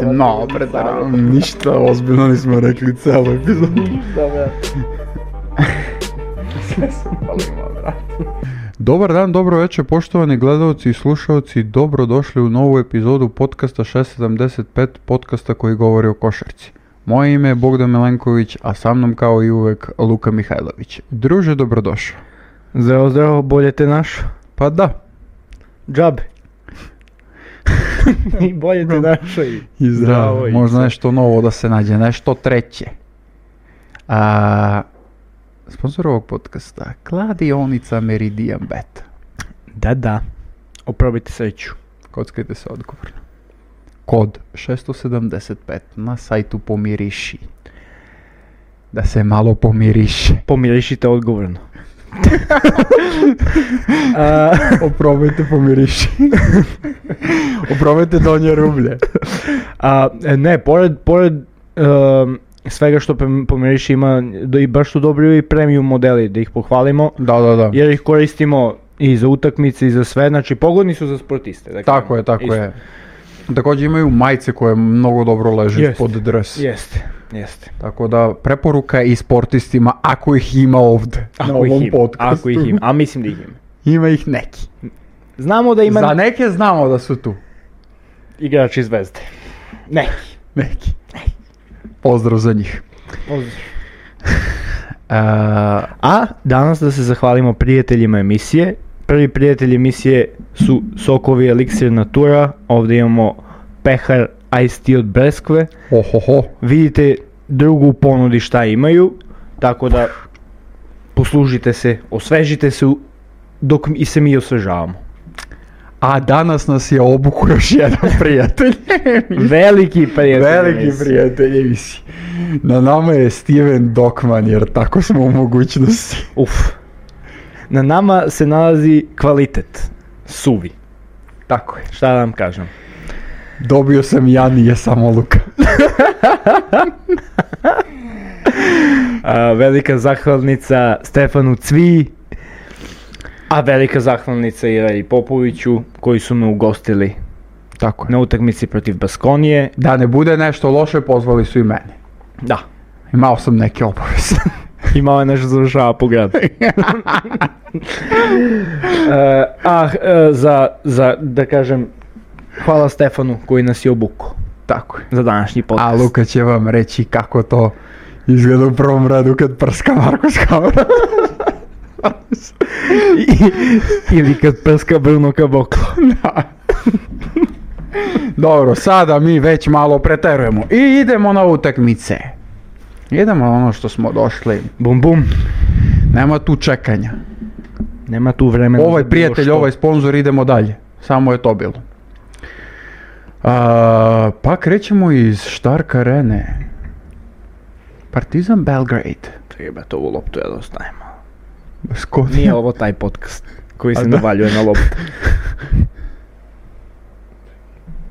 brate, no, ništa ozbiljno nismo rekli celu epizodu. Da, brate. Sve sam palima, brate. Dobar dan, dobro večer, poštovani gledalci i slušalci, dobrodošli u novu epizodu podcasta 675, podcasta koji govori o košarci. Moje ime je Bogdan Milenković, a sa mnom kao i uvek Luka Mihajlović. Druže, dobrodošao. Zdravo, zdravo, bolje te našo? Pa da. Džabe. I bolje te našo i zdravo. Možda nešto novo da se nađe, nešto treće. Sponsor ovog podcasta, kladionica Meridian Bet. Da. Oprobajte sreću. Kockajte se odgovorno. Kod 675 na sajtu Pomiriši. Da se malo pomiriše. Pomirišite odgovorno. Oprobajte pomiriši. Oprobajte donje rublje. Ne, pored svega što Pomiriši ima, i baš su dobri i premium modeli, da ih pohvalimo. Da. Jer ih koristimo i za utakmice i za sve, znači pogodni su za sportiste. Dakle, tako je. Također imaju majice koje mnogo dobro leže pod dres. Jeste. Tako da preporuka i sportistima ako ih ima ovdje na ovom podcastu. Ako ih ima, a mislim da ih ima. Ima ih neki. Znamo da ima... Za neke znamo da su tu. Igrači Zvezde. Neki. Pozdrav za njih. A danas da se zahvalimo prijateljima emisije. Prvi prijatelj emisije su sokovi Elixir Natura. Ovdje imamo pehar Ice Tea od Breskve. Vidite drugu ponudi šta imaju, tako da poslužite se, osvežite se dok i se mi osvežavamo. A danas nas je obukao još jedan prijatelj. Veliki prijatelj emisije. Na nama je Steven Dokman, jer tako smo u mogućnosti. Na nama se nalazi kvalitet, suvi. Tako je. Šta da vam kažem? Dobio sam ja, nije samo Luka. Velika zahvalnica Stefanu Cvi, a velika zahvalnica i Radi Popoviću koji su me ugostili tako na utakmici protiv Baskonije. Da ne bude nešto loše, pozvali su i mene. Da. Imao sam neke obaveze. Imao je nešto završava po gradu. Za da kažem, hvala Stefanu koji nas je obukao. Tako je. Za današnji podcast. A Luka će vam reći kako to izgleda u prvom redu kad prska Marko s kamera. Ili kad prska Bruno Caboclo. Da. Dobro, sada mi već malo preterujemo i idemo na utakmice. Idemo na ono što smo došli. Bum. Nema tu čekanja. Nema tu vremena. Ovaj prijatelj, ovaj sponzor, idemo dalje. Samo je to bilo. Pa krećemo iz Stark Arene. Partizan Belgrade. Treba to ovu loptu ja da ostavimo. Baskonija. Nije ovo taj podcast koji se navaljuje na loptu.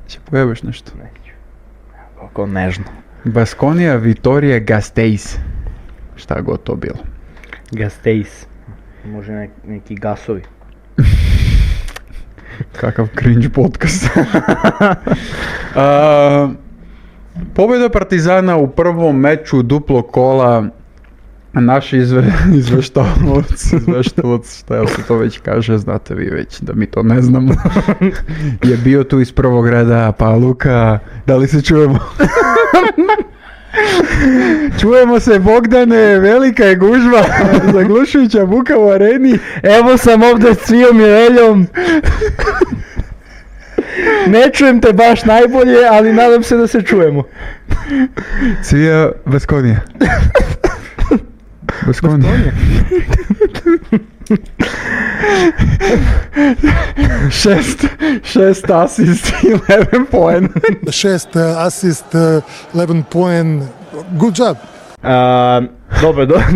Će pojebaš nešto? Neću. Kako nežno. Baskonija, Vitorija, Gasteiz. Šta god to bilo. Gasteiz. Može neki gasovi. Kakav cringe podcast. Pobjeda Partizana u prvom meču duplo kola. Naš izveštavac, šta se to već kaže, znate vi već da mi to ne znamo, je bio tu iz prvog reda. Pa Luka, da li se čujemo? Čujemo se, Bogdane, velika je gužva, zaglušujuća buka u areni. Evo sam ovdje s Cvijom i Reljom. Ne čujem te baš najbolje, ali nadam se da se čujemo. Cvija, Baskonija. Šest asist, 11 poen. 6 asist, 11 poen. Good job.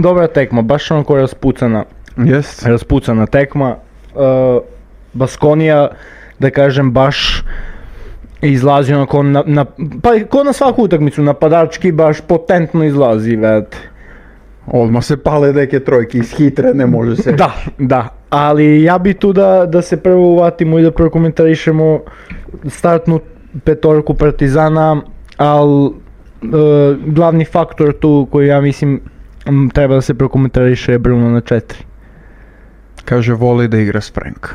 Dobra tekma, baš onako raspucana. Yes. Raspucana tekma. Baskonija, da kažem, baš izlazi onako pa ko na svaku utakmicu, napadački baš potentno izlazi, vedete. Odmah se pale neke trojke, iz hitre ne može se. Da, ali ja bi tu da se prvo uvatimo i da prokomentarišemo startnu petorku Partizana. ali glavni faktor tu koji ja mislim treba da se prokomentariše je Bruno na 4. Kaže, voli da igra s Franka.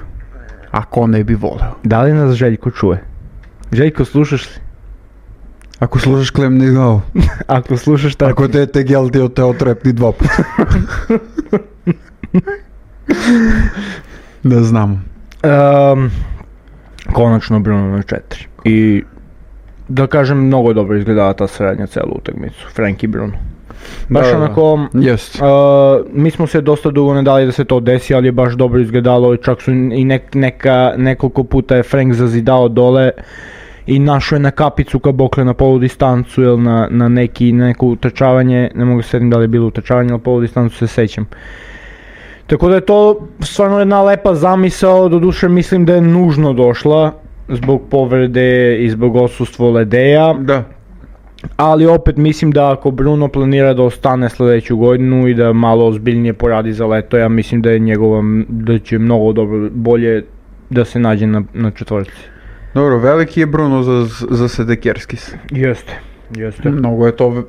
A ko ne bi voleo? Da li nas Željko čuje? Željko, slušaš li? Ako slušaš, klemni glavu. Ako slušaš tako. Ako te gel ti te otrepni 2 puta. Da znamo. Konačno Bruno na 4. I da kažem, mnogo dobro izgledala ta srednja celu utakmicu. Frank i Bruno. Baš onako, mi smo se dosta dugo ne dali da se to desi, ali je baš dobro izgledalo i čak su i nekoliko puta je Frank zazidao dole i našao je na kapicu kabokle na polu distancu ili na neko utrčavanje, ne mogu se sjetim da li je bilo utrčavanje, ali polu distancu se sećam. Tako da je to stvarno jedna lepa zamisao, doduše mislim da je nužno došla zbog povrede i zbog odsustva Ledeja. Da. Ali opet mislim da ako Bruno planira da ostane sljedeću godinu i da malo ozbiljnije poradi za leto, ja mislim da je da će mnogo dobro, bolje da se nađe na četvorci. Dobro, veliki je Bruno za Sedekerskis. Jeste. Mnogo je to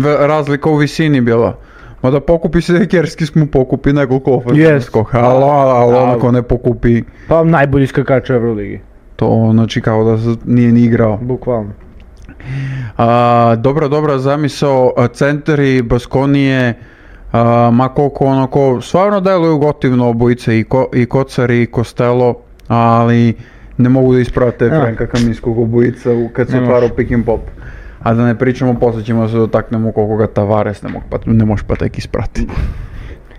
razlika u visini bila. Ma da pokupi Sedekerskis mu pokupi nekoliko ofenzivnih skoka, ali onako ne pokupi... Pa najbolji skakač u Euroligi. To znači kao da nije ni igrao. Bukvalno. Dobra zamisao, centri Baskonije, ma koliko onako, stvarno deluju gotivno obojice i Kocari i Costello, ali ne mogu da isprate Franka Kaminskog obojica kad se otvarao pick and pop. A da ne pričamo, poslije ćemo da se dotaknemo koliko ga Tavares ne može pa tek isprati.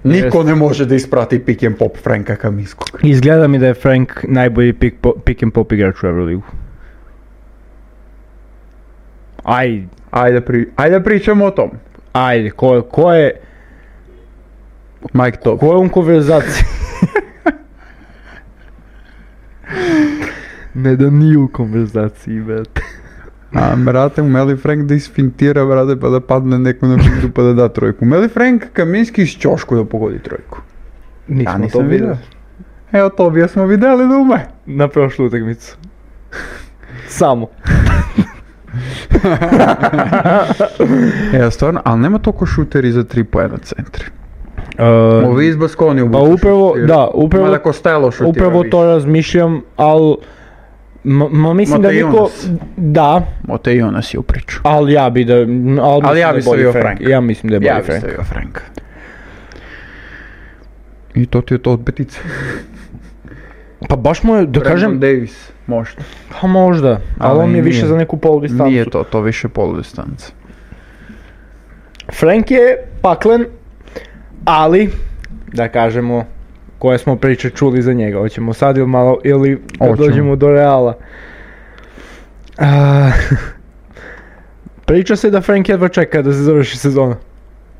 Niko ne može da isprati pick and pop Franka Kaminskog. Izgleda mi da je Frank najbolji pick and pop igrač u Euroligu. Ajde da pričamo o tom. Ajde, ko je... Mike Top. Ko je u konverzaciji? Ne da nije u konverzaciji, brate. Brate, umeli Frank da isfintira, brate, pa da padne neko na pintu pa da da trojku. Umeli Frank Kaminski iz ćošku da pogodi trojku. Nismo to videli. Evo to bi smo videli da ume. Na prošlu utakmicu. Samo. Stvarno, ali nema toliko šuteri za 3 poena centri. Ovi iz Baskonije pa upravo Costello to razmišljam, ali mislim da niko... Da. Mote Jonas je u priču. Ali ja bi stavio Frank. Ja mislim da je bolji Frank. stavio Frank. I to ti je to od petice. Pa baš mu je, da kažem... Davis, možda. Pa možda, ali on je više za neku poludistancu. Nije to više poludistanca. Frank je paklen, ali, da kažemo, koje smo priče čuli za njega. Hoćemo sad ili kad dođemo do Reala. Priča se da Frank jedva čeka da se završi sezona.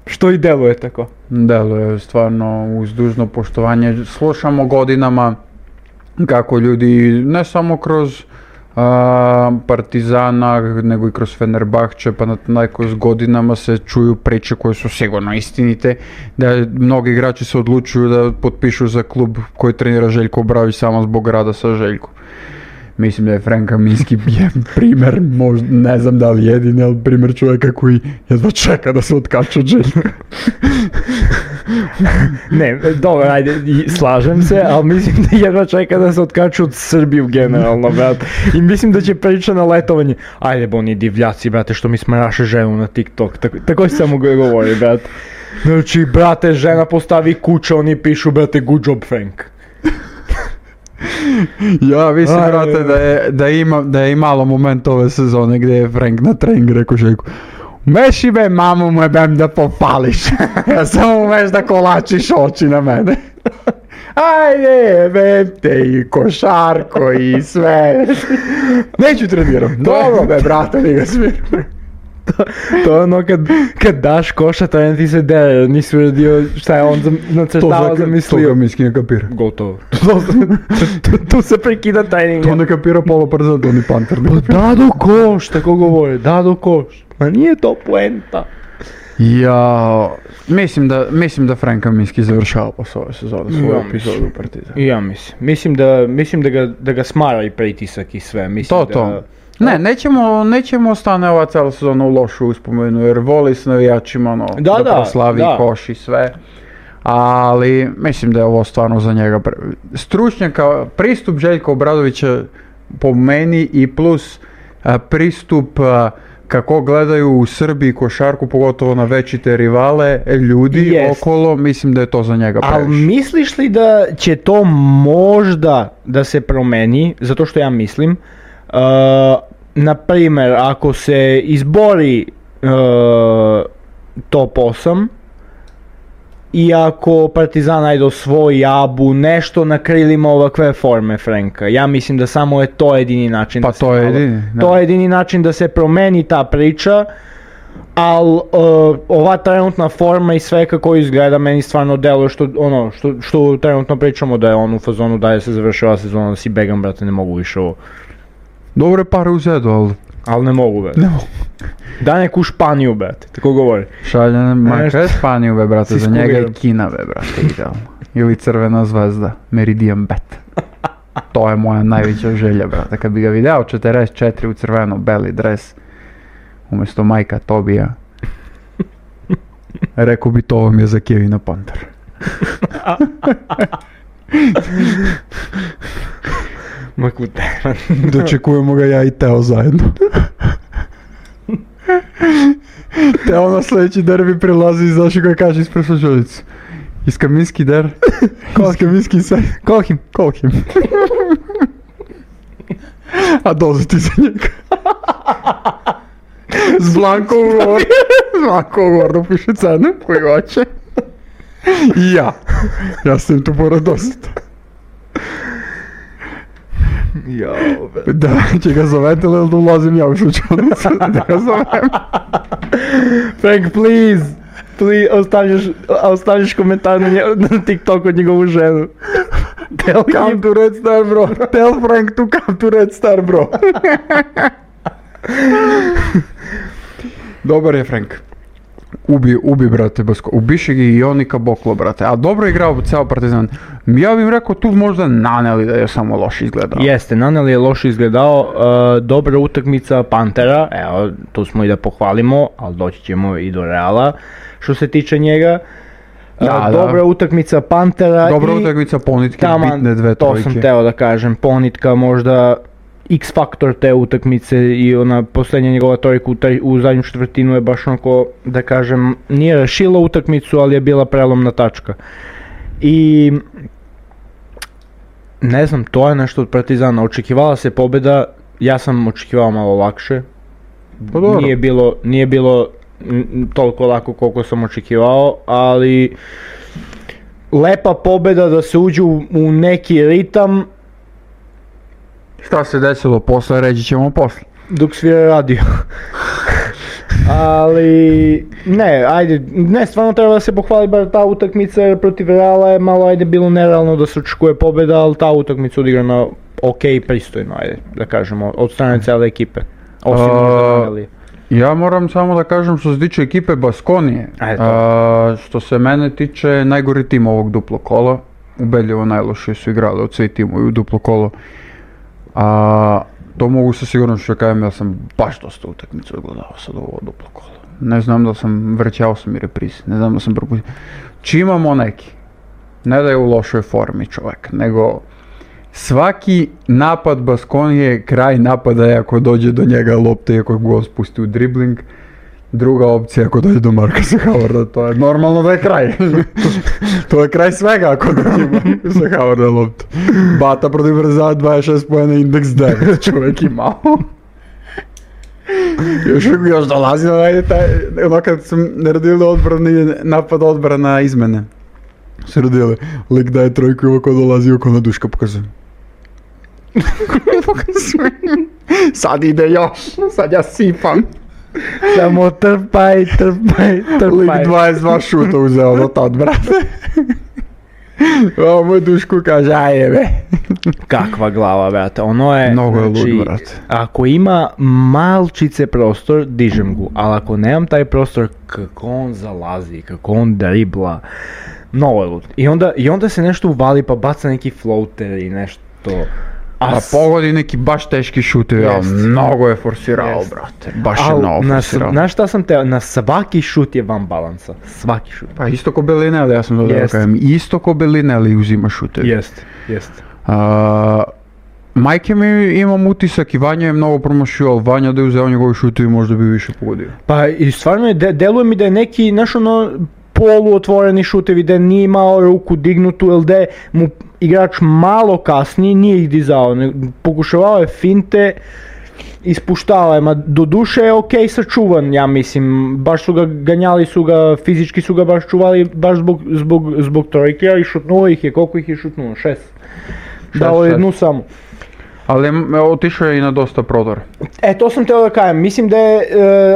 Što i deluje tako. Deluje stvarno uz dužno poštovanje. Slušamo godinama kako ljudi, ne samo kroz Partizana, nego i kroz Fenerbahče, pa s godinama se čuju priče koje su sigurno istinite, da mnogi igrači se odlučuju da potpišu za klub koji trenira Željko Obradović samo zbog rada sa Željkom. Mislim da je Frank Kaminski primjer, možda, ne znam da li jedini, ali primjer čovjeka koji jedva čeka da se otkače od Željka. Ne, dobro, ajde, slažem se, ali mislim da jedva čeka da se otkaču od Srbiju generalno, brate. I mislim da će priča na letovanje, ajde oni divljaci, brate, što mi smaraše ženu na TikTok, tako se samo govori, brate. Znači, brate, žena postavi kuće, oni pišu, brate, good job, Frank. Ja mislim, brate, da je imalo moment ove sezone gdje je Frank na treningu rekao Željku: "Meši me, mamu me bem da popališ, ja samo umeš da kolačiš oči na mene." Ajde, bem te i košarko i sve. Neću treniram. Dobro be, brate, ni ga smiram. To je ono kad daš koša, taj ti se dere, nisi uradio šta je on nacrtao, zamislio. To Kaminski ne kapira. Gotovo. Tu se prekida tajning. To ne kapira Polo Parzan, to ni Panter. Da do koš, tako govore, da do koš. Ma nije to poenta. Ja, mislim da Frank Kaminski završava posle ove sezone svoju epizodu u Partizanu. Ja mislim da ga smara i pritisak i sve. Mislim to. Ne, nećemo stane ova cijela sezona u lošu uspomenu, jer voli s navijačima da proslavi koš i sve. Ali mislim da je ovo stvarno za njega stručnjaka, pristup Željka Obradovića po meni i plus pristup kako gledaju u Srbiji košarku, pogotovo na večite rivale, ljudi okolo, mislim da je to za njega previše. Ali misliš li da će to možda da se promeni, zato što ja mislim, na primjer, ako se izbori top 8, i ako Partizan najde osvoji Abu, nešto na krilima ovakve forme Frenka. Ja mislim da samo je to jedini način to je jedini način da se promeni ta priča, ali ova trenutna forma i sve kako izgleda meni stvarno deluje što trenutno pričamo da je on u fazonu da je se završila sezona, da si begam, brate, ne mogu više ovo. Dobre pare uzedu, ali ne mogu, brate. Da neku Španiju, brate, tako govori. Kaj je Španiju, brate, za njega je Kina, brate, idealno. Ili Crvena zvezda, Meridian Bet. To je moja najveća želja, brate. Kad bi ga video 44 u crveno-beli dres, umjesto Majka Tobija, rekao bi to vam je za Kevina Panter. Dočekujemo ga ja i Teo zajedno. Teo na sljedeći derbi prilazi i znaš ga kaže ispred slušalicu. Iskaminski der. Iskaminski se. Kolhim. A dolazi ti za njega. S Blanko ugovor da piše cenu koji hoće. I ja sam tu pored dosta. Da, će ga zovete ili da ulazim ja u slučajnicu, da ga zovem. Frank, please, ostavljaš komentar na TikTok od njegovu ženu. Come to Red Star, bro. Tell Frank to come to Red Star, bro. Dobar je Frank. Ubi, brate, Basko. Ubiše ga i Jonika Boklo, brate. A dobro je igrao ceo Partizan. Ja bih rekao tu možda Naneli da je samo loše izgledao. Jeste, Naneli je loše izgledao. Dobra utakmica Pantera. Evo, tu smo i da pohvalimo, ali doći ćemo i do Reala što se tiče njega. Dobra utakmica Pantera. Dobra utakmica Ponitke, bitne dve trojke. To sam teo da kažem. Ponitka možda X faktor te utakmice i ona posljednja njegova trojka u zadnju četvrtinu je baš onako, da kažem, nije rešila utakmicu, ali je bila prelomna tačka. I ne znam, to je nešto od Partizana. Očekivala se pobjeda, ja sam očekivao malo lakše. Nije bilo toliko lako koliko sam očekivao, ali lepa pobjeda da se uđe u neki ritam. Šta se desilo posle, reći ćemo posle. Dok svira radio. Ali, stvarno treba da se pohvali bar ta utakmica, jer protiv Reala je malo, bilo nerealno da se očekuje pobjeda, ali ta utakmica odigrana ok, pristojno, da kažemo, od strane cijele ekipe. Osim ja moram samo da kažem što se tiče ekipe Baskonije, što se mene tiče najgori tim ovog duplo kola, ubedljivo najlošije su igrali od svih timovi u duplo kolo. To mogu sa sigurnošću da kažem, ja sam baš dosta utakmicu odgledao sad ovo duplo kolo. Ne znam da sam, vrćao sam i reprize, ne znam da sam propustio. Čimamo neki, ne da je u lošoj formi čovjek, nego svaki napad Baskonije, kraj napada je ako dođe do njega lopte i ako go spusti u dribling. Druga opcija ako dođe do Markusa Howarda, to je normalno da je kraj. To je kraj svega ako dođe Markusa Howarda loptu. Bata protiv Partizana 26 pojena, indeks 9, čovjek imao. Još dolazi na ono kad sam naredili napad odbrana izmene. Se radili, lik daje trojku i ovako dolazi oko na Duška pokazuje. Sad ide još, sad ja sipam. Samo trpaj. Lik 22 šuta uzeo do tad, brate. Ovo moj Duško kaže, ajebe. Kakva glava, brate, ono je... Mnogo je lud, brate. Ako ima malčice prostor, dižem gu, ali ako nemam taj prostor, kako on zalazi, kako on dribla, mnogo je lud. I onda se nešto uvali pa baca neki floater i nešto... A pogodi neki baš teški šutevi, ali mnogo je forsirao, brate. Baš je mnogo forsirao. Znaš šta sam teo? Na svaki šut je van balansa. Svaki šut. Pa isto ko Bellinelli, ja sam to da kažem. Isto ko Bellinelli uzima šutevi. Jest. Majke mi imam utisak i Vanja je mnogo promašio, ali Vanja da je uzeo njegovi šutevi možda bi više pogodio. Pa i stvarno deluje mi da je neki, znaš ono, poluotvoreni šutevi, da nije imao ruku dignutu ili da je mu igrač malo kasniji, nije ih dizao, pokušavao je finte, ispuštava je, do duše je ok sačuvan, ja mislim, baš su ga ganjali, fizički su ga baš čuvali, baš zbog trojke, ali šutnuo ih je, koliko ih je šutnuo? 6. Dao je jednu samo. Ali otišao je i na dosta prodora. To sam teo da kažem, mislim da je,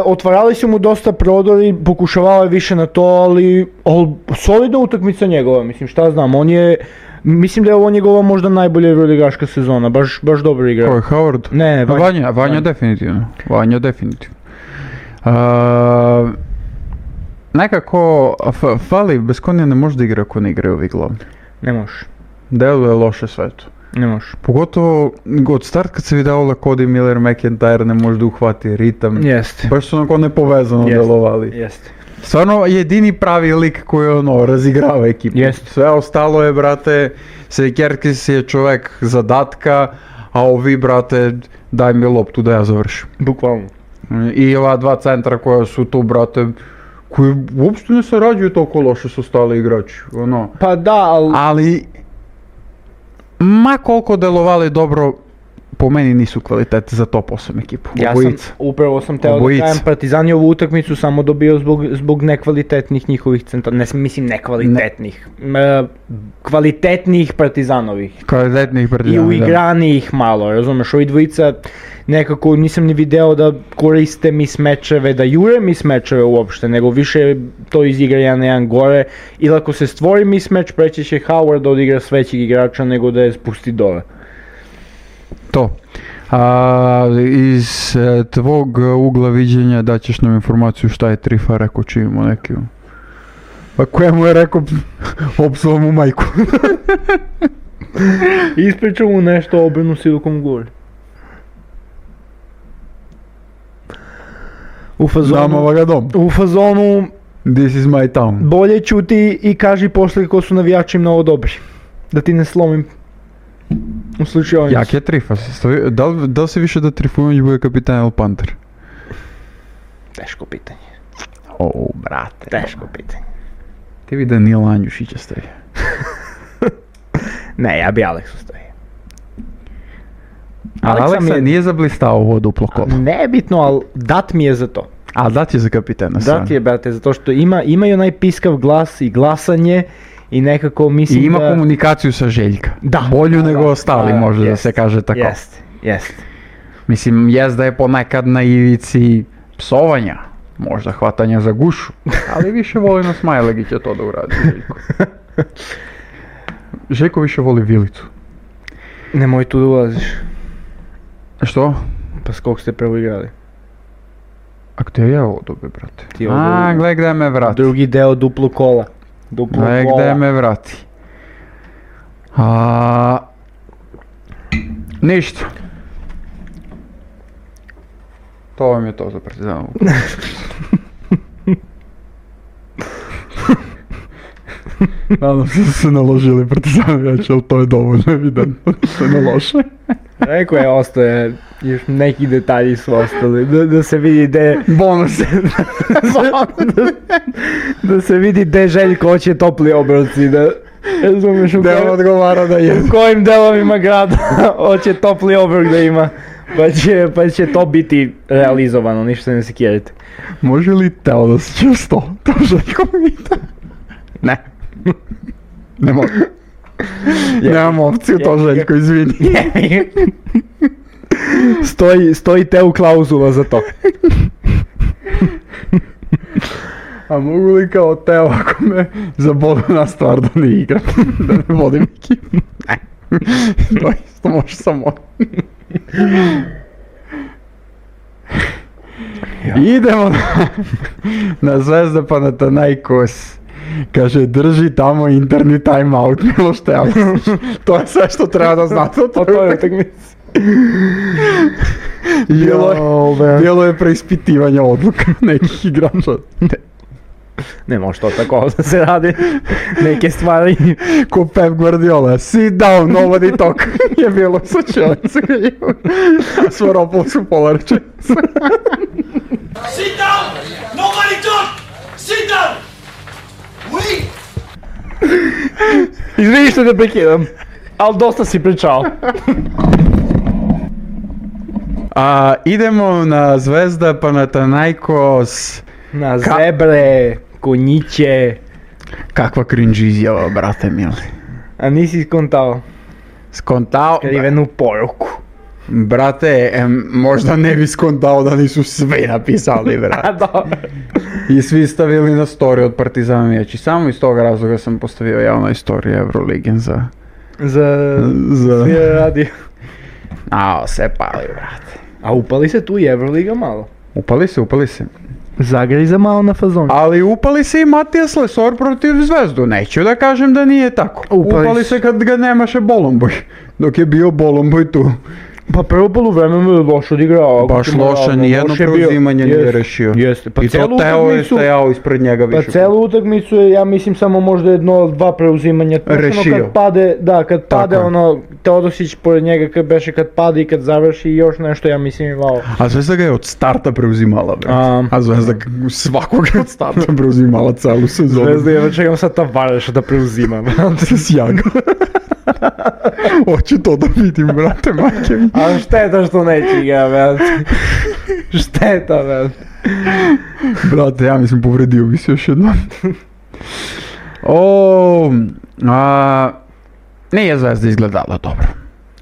otvarali su mu dosta prodori, pokušavao je više na to, ali solidna utakmica njegova, mislim, šta znam, mislim da je ovo njegova možda najbolja euroligaška sezona, baš dobro igra. Ko je, Howard? Ne, Vanja definitivno. Nekako, fali, bez konja ne može da igra ako ne igraju ovi glavni. Ne može. Deluje loše sve to. Ne može. Pogotovo od start kad se vidjelo da Cody Miller, McIntyre ne može da uhvati ritam. Jeste. Baš su onako nepovezano delovali. Jeste. Stvarno jedini pravi lik koji razigrava ekipu. Jeste. Sve ostalo je, brate, Sekerkis je čovjek zadatka, a ovi, brate, daj mi loptu da ja završim. Bukvalno. I ova dva centra koja su tu, brate, koji uopšte ne sarađuju toliko loše s ostali igrači. Pa da, ali ma koliko delovali dobro, po meni nisu kvalitete za top 8 ekipu. Upravo sam teo da kajem, Partizan je ovu utakmicu samo dobio zbog nekvalitetnih njihovih centara, mislim nekvalitetnih, kvalitetnih Partizanovih. I uigranijih malo, razumeš, ovi dvojica nekako nisam ni video da koriste mismečeve, da jure mismečeve uopšte, nego više to izigra jedan na jedan gore, ili ako se stvori mismeč, preći će Howard da odigra s većeg igrača nego da je spusti dole. To. Iz tvog ugla viđenja daćeš nam informaciju šta je Trifa rekao čim imamo neki... Pa kojemu je rekao opsao mu majku. Ispričao mu nešto o Obrenu Silicon Gori. U fazonu This is my town. Bolje čuti i kaži posle kako su navijači mnogo dobri. Da ti ne slomim u slučaju. Jak je Trifa? Da li se više da Trifunović bude kapitan ili Panter? Teško pitanje. Brate. Teško pitanje. Ti bi Danila Andjušića stavio. Ne, ja bi Aleksu stavio. Aleksa nije zablistao ovo duplo kolo. Nebitno, ali dat mi je za to. A dat je za kapitana. Dat je, brate, zato što ima i onaj piskav glas i glasanje i nekako mislim da... I ima komunikaciju sa Željka. Da. Bolju nego ostali, može da se kaže tako. Jeste. Mislim, da je ponekad na ivici psovanja, možda hvatanja za gušu, ali više voli na Smajlegića to da uradi Željko. Željko više voli Vilicu. Nemoj tu da ulaziš. Što? Pa s kog ste prvo igrali? A gdje je ovo dobio, brate? Gledaj gdje me vrati. Drugi deo duplo kola. Gledaj gdje me vrati. Ništa. To vam je to za Partizanovu. Nadam se da su se naložili Partizanovijači, ali to je dovoljno evidentno da se nalože. Rekao je, ostaje, još neki detalji su ostali, da se vidi gdje... Bonuse. Da se vidi gdje Željko hoće topli obroci, da... Razumeš u kojim delovima grada hoće topli obrok da ima, pa će to biti realizovano, ništa ne sekirajte. Može li teo da se čuo sto? To Željko pita. Ne. Ne mogu. Nemam opciju to Željko, izvini. Stoji Teo klauzula za to. A mogu li kao Teo ako me zaboli na stvar da ne igram, da ne vodim ekipu? Ne. To isto može samo. Idemo na Zvezda Panathinaikos. Kaže, drži tamo interni timeout, Miloš Tealić. To je sve što treba da znate o toj utakmici. Bilo je preispitivanje odluka nekih igrača. Ne može to tako da se radi, neke stvari. Ko Pep Guardiola, sit down, nobody talk. Je bilo slučajnice. Svaropili su pola rečenice. Sit down! Nobody talk! Sit down! Wait! Izvini što te prekidam, ali dosta si pričao. Idemo na Zvezda Panathinaikos. Na zebre, konjiće. Kakva cringe izjava, brate mili. A nisi skontao skrivenu poruku. Brate, možda ne bi skontao da nisu svi napisali, brate. Dobro. I svi stavili na story od Partizana Mijeći. Samo iz tog razloga sam postavio javno istoriju Euroligen za... Svi radio. Se pali, brate. A upali se tu i Euroliga malo. Upali se. Zagriza malo na fazon. Ali upali se i Matijas Lesor protiv Zvezdu. Neću da kažem da nije tako. Upali se kad ga nemaše Bolomboj. Dok je bio Bolomboj tu. Pa prvo poluvreme je loš odigrao. Baš loše, nijedno preuzimanje nije rešio. Jeste. I to Teo je stajao ispred njega više. Pa celu utakmicu je, ja mislim, samo možda jedno ili dva preuzimanja. Rešio. Kad pade ono, Teodosić pored njega kad pade i kad završi i još nešto, ja mislim imao. A Zvezda ga je od starta preuzimala, a Zvezda svakoga od starta preuzimala celu sezonu. Zvezda je, čekam sad Tavareša da preuzima. Sjaga. Hoću to da vidim, brate, majke mi. A šteta što neće ga, brate. Šteta, brate. Brate, ja mislim povredio bi se još jednom. Nije Zvezda izgledala dobro.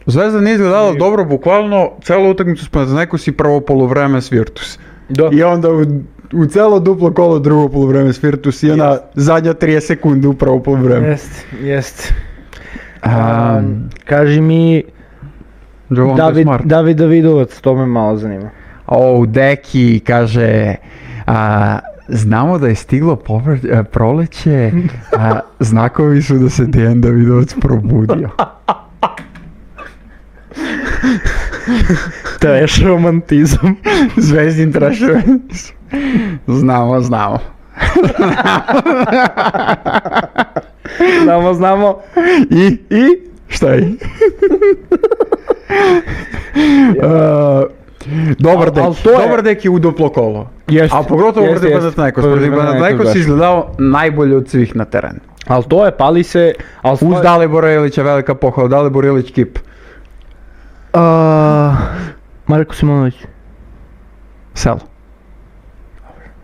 Zvezda nije izgledala dobro, bukvalno celu utakmicu smo neko si prvo poluvreme s Virtus. Da. I onda u celo duplo kolo drugo poluvreme s Virtus i ona zadnja 30 sekunde u prvo poluvreme. Jest. Kaži mi, David Davidovac, to me malo zanima. Deki kaže, znamo da je stiglo proleće, znakovi su da se Dejan Davidovac probudio. Trash romantizam. Zvezdin trash romantizam. Znamo. Znamo. I? Šta je? Dobar deki u duplo kolo. A pogotovo protiv Panathinaikos. Protiv Panathinaikos si izgledao najbolje od svih na terenu. Ali to je, pali se... Uz Dalibora Ilića velika pohvala. Dalibor Ilić kip. Marko Simonović. Selo.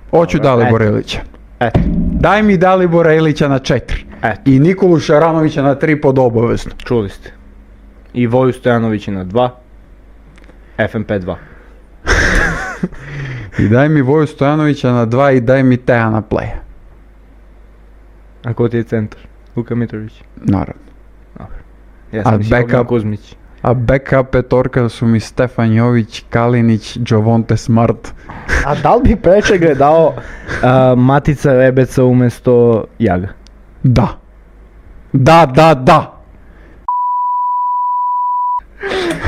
Hoću Dalibora Ilića. Eto. Daj mi Dalibora Ilića na 4. I Nikolu Šaranovića na 3 pod obavezno. Čuli ste. I Voju Stojanovića na 2. FNP 2. I daj mi Voju Stojanovića na 2 i daj mi Teja na play. A ko ti je centar? Luka Mitrović? Naravno. Ja sam mislio Kuzmić. A backup petorka su mi Stefan Jović, Kalinić, Jovonte Smart. A da li bi preče gledao Matica Rebeca umjesto Jaga? Da.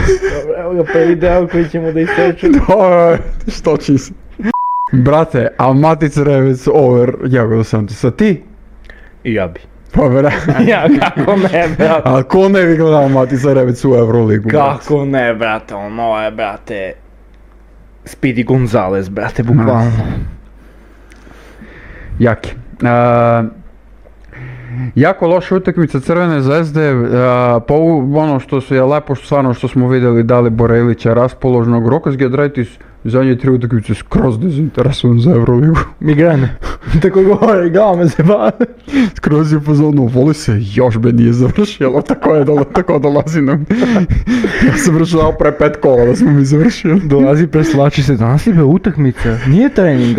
Dobro, evo ga prvi deo koji ćemo da isečemo. Što će se? Brate, a Matica Rebec over Jago Santisa, ti? I ja bi. Pa bre. Ja, kako ne, brate. A ko ne bi gledao Matica Rebec u Euroligu? Kako ne, brate, ono je, brate, Speedy Gonzalez, brate, bukvalno. Jaki. Jako loša utakmica Crvene Zvezde, ono što je lepo stvarno što smo vidjeli Dalibora Ilića raspoložnog, Rokas Giedraitis zadnje 3 utakmice skroz dezinteresovan za Euroligu. Migrane. Tako govori, glava se bave. Skroz je pozorno, voli se, još be nije završilo, tako dolazi nam. Ja sam vršao pre 5 kola da smo mi završili. Dolazi, preslači se, danas je be utakmica, nije trening,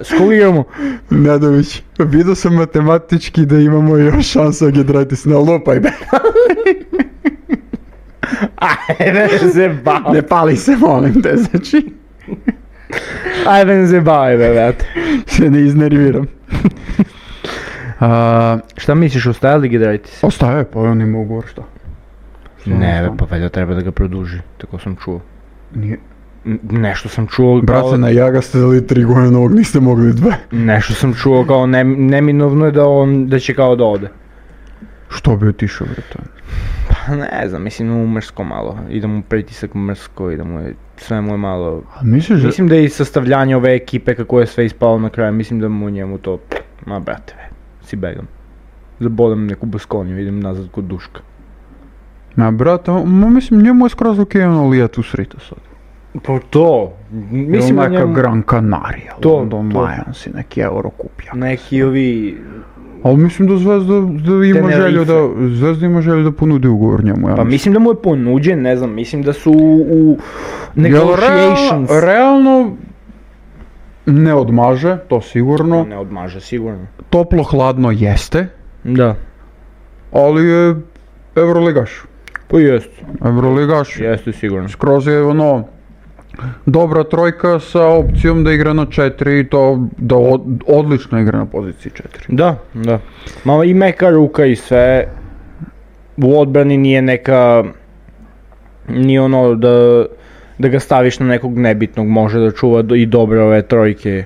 s koga igramo? Nedović, vidio sam matematički da imamo još šansa Giedraitis na lupaj be. Ajde se bavi. Ne pali se, molim te, znači. Ajde se bavi, brate. Se ne iznerviram. Šta misliš, ostaje li Giedraitis? Ostaje, pa on ima ugovor, šta? Ne, pa valjda treba da ga produži, tako sam čuo. Nije. Nešto sam čuo Brate, na Jaga ste dali 3 godine, ovog niste mogli 2. Nešto sam čuo kao neminovno je da će kao da ode. Što bi otišao, brate? Pa ne znam, mislim u Mrsko malo, ide mu pritisak Mrsko, sve mu je malo... Mislim da je i sastavljanje ove ekipe kako je sve ispalo na kraju, mislim da mu njemu to... Ma brate, si begam. Zabodam neku Baskoniju, idem nazad kod Duška. Ma brate, mislim njemu je skroz okejeno lijat u srita sad. Pa to, mislim da njemu... Neka Gran Canaria, London Lions i neki Eurokupja. Neki ovi... Ali mislim da Zvezda ima želju da ponudi ugovor njemu. Ja pa mislim da mu je ponuđen, ne znam, mislim da su u negotiations. Realno ne odmaže, to sigurno. Ne odmaže, sigurno. Toplo hladno jeste. Da. Ali je Euroligaš. Pa jeste. Euroligaš. Jeste sigurno. Skroz je dobra trojka sa opcijom da igra na 4 i to da odlično igra na poziciji 4. Da. Malo i meka ruka i sve. U odbrani nije neka... Nije ono da ga staviš na nekog nebitnog, može da čuva i dobre ove trojke.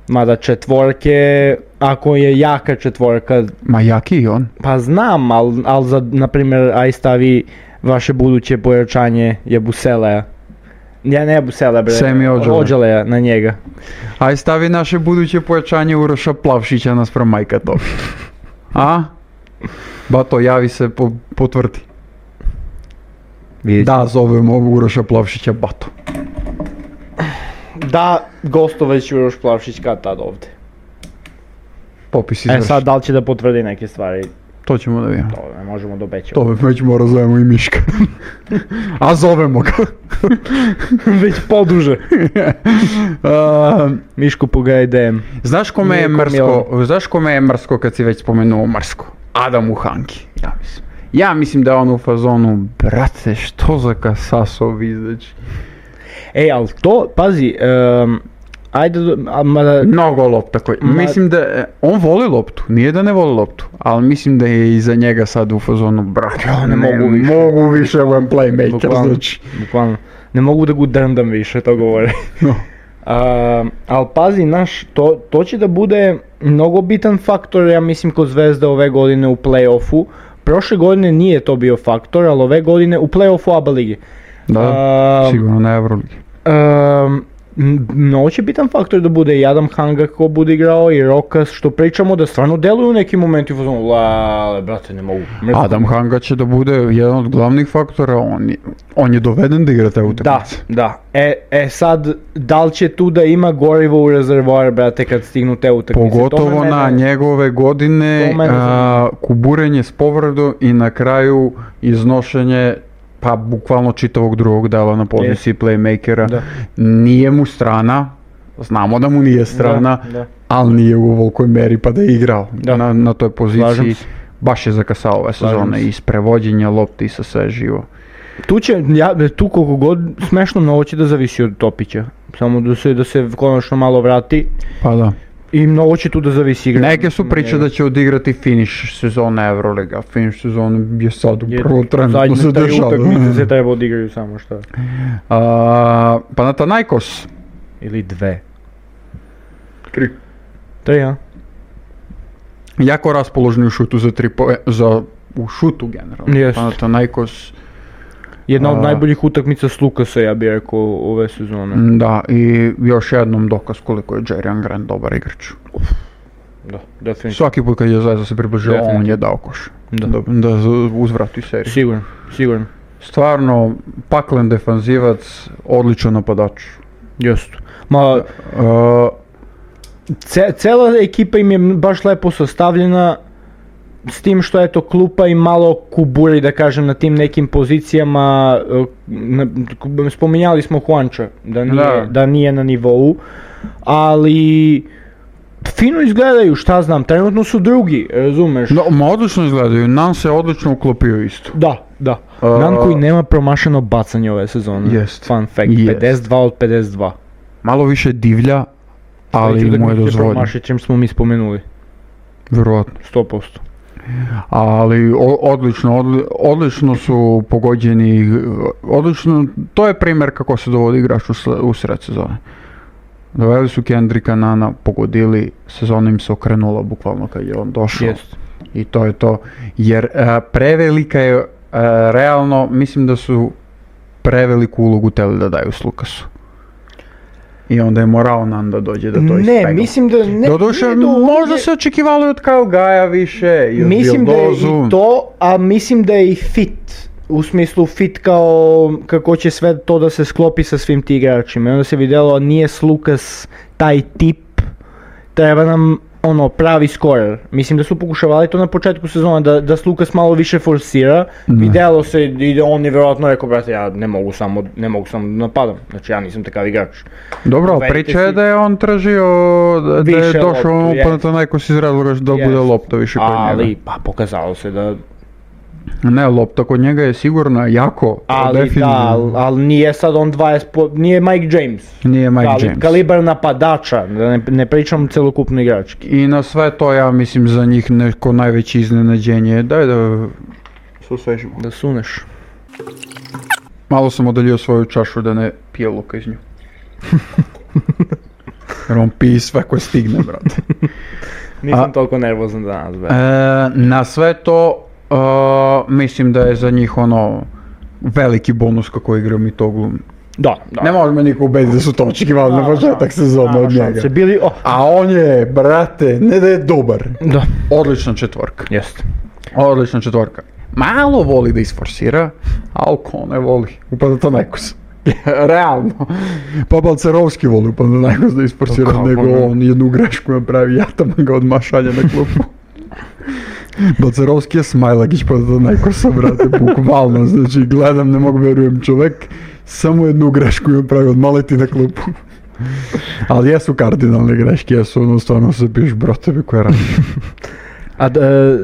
Mada četvorke, ako je jaka četvorka... Ma jaki i on. Pa znam, ali za, na primjer, aj stavi vaše buduće pojačanje Jabuseleja. Ja ne Jabuseleja, bre, Semi Ođeleja na njega. Aj stavi naše buduće pojačanje Uroša Plavšića naspram Majka Topi. A? Bato, javi se, potvrdi. Da, zovemo Uroša Plavšića Bato. Da, gostoveć Uroš Plavšić kad tad ovdje. Popis izvrši. Sad da li će da potvrdi neke stvari? To ćemo da vidimo. To ne možemo da obećamo. To već mora zovemo i Miška. A zovemo ga. Već poduže. Mišku pogaj DM. Znaš kome je mrsko kad si već spomenuo mrsko? Adamu Hanki, ja mislim. Ja mislim da je on u fazonu, brate, što za kasasovi izaći. Ej, ali to, pazi, ajde, mnogo lopta koji, mislim da, on voli loptu, nije da ne voli loptu, ali mislim da je iza njega sad u fazonu, brate, ne mogu više ovaj playmaker, znači. Bukvalno, ne mogu da ga drndam više, to govore. No. Ali pazi, to će da bude mnogo bitan faktor, ja mislim, kod Zvezda ove godine u play-offu. Prošle godine nije to bio faktor, ali ove godine u play-offu ABA ligi. Da, sigurno na Euroligi. Mnogo će bitan faktor da bude i Adam Hanga kako bude igrao i Rokas, što pričamo da stvarno deluju u nekim momenti u fazonu, brate, ne mogu. Adam Hanga će da bude jedan od glavnih faktora, on je doveden da igra te utakmice. Da. Sad, da li će tu da ima gorivo u rezervoar, brate, kad stignu te utakmice? Pogotovo na njegove godine, kuburenje s povredom i na kraju iznošenje pa bukvalno čitavog drugog dela na poziciji playmakera. Nije mu strana, znamo da mu nije strana, ali nije u ovolikoj meri pa da je igrao na toj poziciji. Baš je zakasao ove sezone i s prevođenja lopti i sa sve živo. Tu koliko god smešno mnogo će da zavisi od Topića, samo da se konačno malo vrati. Pa da. I mnogo će tu da zavisi igra. Neke su priče da će odigrati finish sezone Euroliga. Finish sezone je sad upravo trenutno se dešava. Zadnje utakmice se treba odigraju samo šta. Panathinaikos. Ili 2. 3. 3, a? Jako raspoložni u šutu u šutu generalno. Panathinaikos. Jedna od najboljih utakmica s Lukasa, ja bih rekao, ove sezone. Da, i još jednom dokaz koliko je Jerian Grant dobar igrač. Da, definitivno. Svaki put kad je Zvezda se približila, on je dao koš. Da uzvrati seriju. Sigurno. Stvarno, paklen defanzivac, odličan napadač. Jeste. Cela ekipa im je baš lepo sastavljena, s tim što je to klupa i malo kuburi, da kažem, na tim nekim pozicijama. Spominjali smo Juanča, da nije na nivou, ali fino izgledaju, šta znam, trenutno su drugi, razumeš? Odlično izgledaju, Nan se odlično uklopio isto. Da. Nan koji nema promašeno bacanje ove sezone, fun fact, 52 od 52. Malo više divlja, ali mu je dozvoljeno. Promašit čem smo mi spomenuli. Vjerovatno. 100%. Ali odlično su pogođeni, odlično, to je primjer kako se dovodi igrač u sred sezone. Doveli su Kendricka Nana, pogodili, sezona im se okrenula bukvalno kad je on došao. Jest. I to je to, jer prevelika je, realno mislim da su preveliku ulogu teli da daju s Lukasu. I onda je morao Nan da dođe da to ispegla. Ne, mislim da ne. Doduše, možda se očekivalo od Kyle Gaja više i od Mislim da je Bildozu. i to, a mislim da je i fit. U smislu fit kao kako će sve to da se sklopi sa svim ti igračima. I onda se vidjelo, nije Lukas taj tip, treba nam pravi skorer. Mislim da su pokušavali to na početku sezona, da Lukas malo više forsira. Vidjelo se i on je vjerojatno rekao, brate, ja ne mogu samo da napadam. Znači ja nisam takav igrač. Dobro, priča je da je on tražio, da je Više došao loptu, pa to neko iz razloga da bude lopta više kod njega. Ali, pa pokazalo se da... Ne, lopta kod njega je sigurno jako, Ali definitivno. da, ali nije sad on 20, nije Mike James. Nije Mike James. Kalibar napadača, da ne pričam celokupno igrački. I na sve to ja mislim za njih neko najveće iznenađenje. Daj da se osvežimo. Da suneš. Malo sam odaljio svoju čašu da ne pije Luka iz nju. Jer on pije sve koje stigne, brate. Nisam toliko nervozan danas, be. Na sve to, mislim da je za njih veliki bonus kako igra Mitoglu. Da. Ne može me niko ubediti da su to očekivali na početak sezona od njega. A on je, brate, ne da je dobar. Da. Odlična četvorka. Jeste. Odlična četvorka. Malo voli da isforsira, ali ko ne voli, upada to nekos. Realno. Pa Balcerovski voli upada nekos da isforsira, nego on jednu grešku napravi, Jataman ga odmah šalje na klupu. Balcerovski je Smajlagić pa do nekosa, brate, bukvalno, znači gledam, ne mogu vjerujem, čovjek samo jednu grešku je napravio, odmah leti na klupu. Ali jesu kardinalne greške, jesu stvarno se piš broteve koje radi. A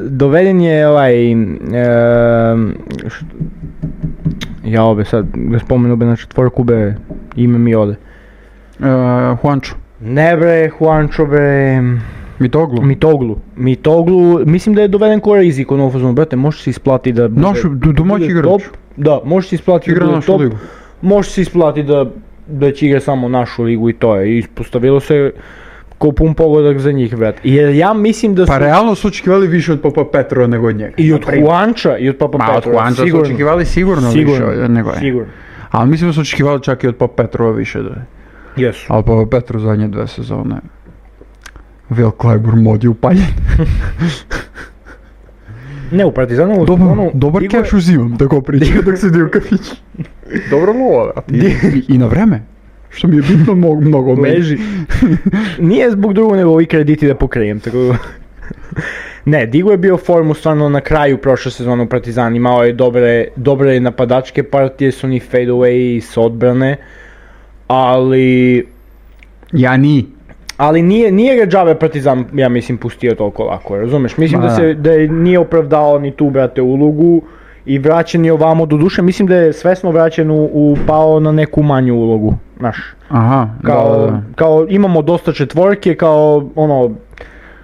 doveden je sad ga spomenu be na četvorku be, ime mi ode. Juancho. Ne bre, Juancho bre... Mitoglu, mislim da je doveden ko rizik u novu fazonu, brate, može se isplati da bude... Domaći igrač. Top, da, može se isplati da bude top, može se isplati da će igra samo našu ligu i to je, ispostavilo se ko pun pogodak za njih, brate. Jer ja mislim da su... Pa realno su očekivali više od Papa Petrova nego od njega. I od Juancha i od Papa Petrova, od Juancha su očekivali sigurno više od nego je. Sigurno. Ali mislim da su očekivali čak i od Papa Petrova više da je. Jesu. Ali Papa Petrov zadnje 2 sezone. Will Clyburn mod je upaljen. Ne, u Partizanu... Dobar keš uzimam, tako pričam dok se dio kafić. Dobro lova, i na vreme. Što mi je bitno mnogo od meni. Leži. Nije zbog drugog nego i krediti da pokrijem, tako... Ne, Digo je bio formu stvarno na kraju prošle sezone u Partizan, imao je dobre napadačke partije, su ni fade away s odbrane, ali... Ali nije ga džabe Partizan, ja mislim, pustio toliko lako, razumeš? Mislim da nije opravdao ni tu, brate, ulogu i vraćen je ovamo, do duše, mislim da je svesno vraćen pao na neku manju ulogu, znaš. Aha, kao imamo dosta četvorke, kao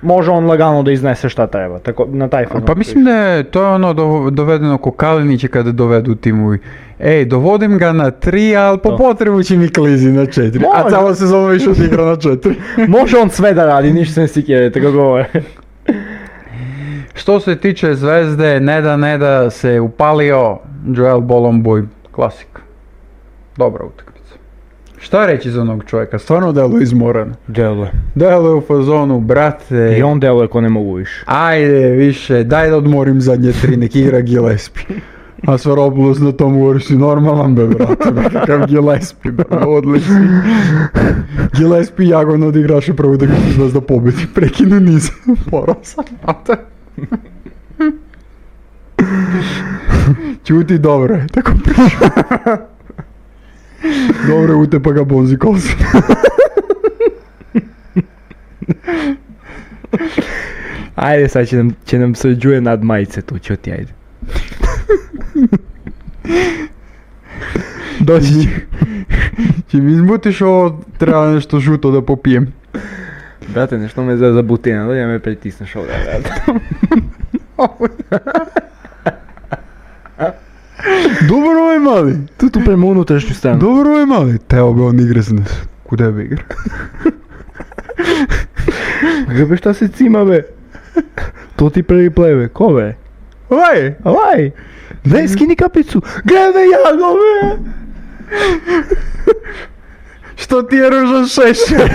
može on lagano da iznese šta treba, tako na taj fazon. Pa mislim da je to dovedeno ko Kalinića kada dovedu timovi. Ej, dovodim ga na 3, ali po potrebu će mi klizi na 4. A cijela sezona više odigra na 4. Može on sve da radi, ništa ne sikere, tako govore. Što se tiče Zvezde, ne da se upalio, Joel Bolomboy, klasik. Dobra utakmica. Šta reći za onog čovjeka? Stvarno deluje izmoran. Deluje u fazonu, brate. I on deluje ko ne mogu više. Ajde više, daj da odmorim zadnje 3, nek igra Gillespie. A Svaropoulos na tom govori si normalan be, brate, kakav Gillespie, odlični. Gillespie jagodno odigraše prvo da ga Zvezda pobedi, prekinu niz, morao sam, Čuti, dobro je, tako pričam. Dobro je, utepa ga Bonzi Kolsi. Ajde, sad će nam sređuje nad majice tu, čo ti ajde. Doći će mi izmutiš ovo, treba nešto žuto da popijem. Brate, nešto me za butina, da me pritisneš ovdje, brate. Dobro je mali. Tu prema unutrašnju stranu. Dobro je mali. Teo bi on igre za nas. Kude bi igra? Gdje šta se cima, be? To ti prvi play, ko be? Ovaj! Daj, skini kapicu! Glede jago, be! Što ti je Ružan Šešelj?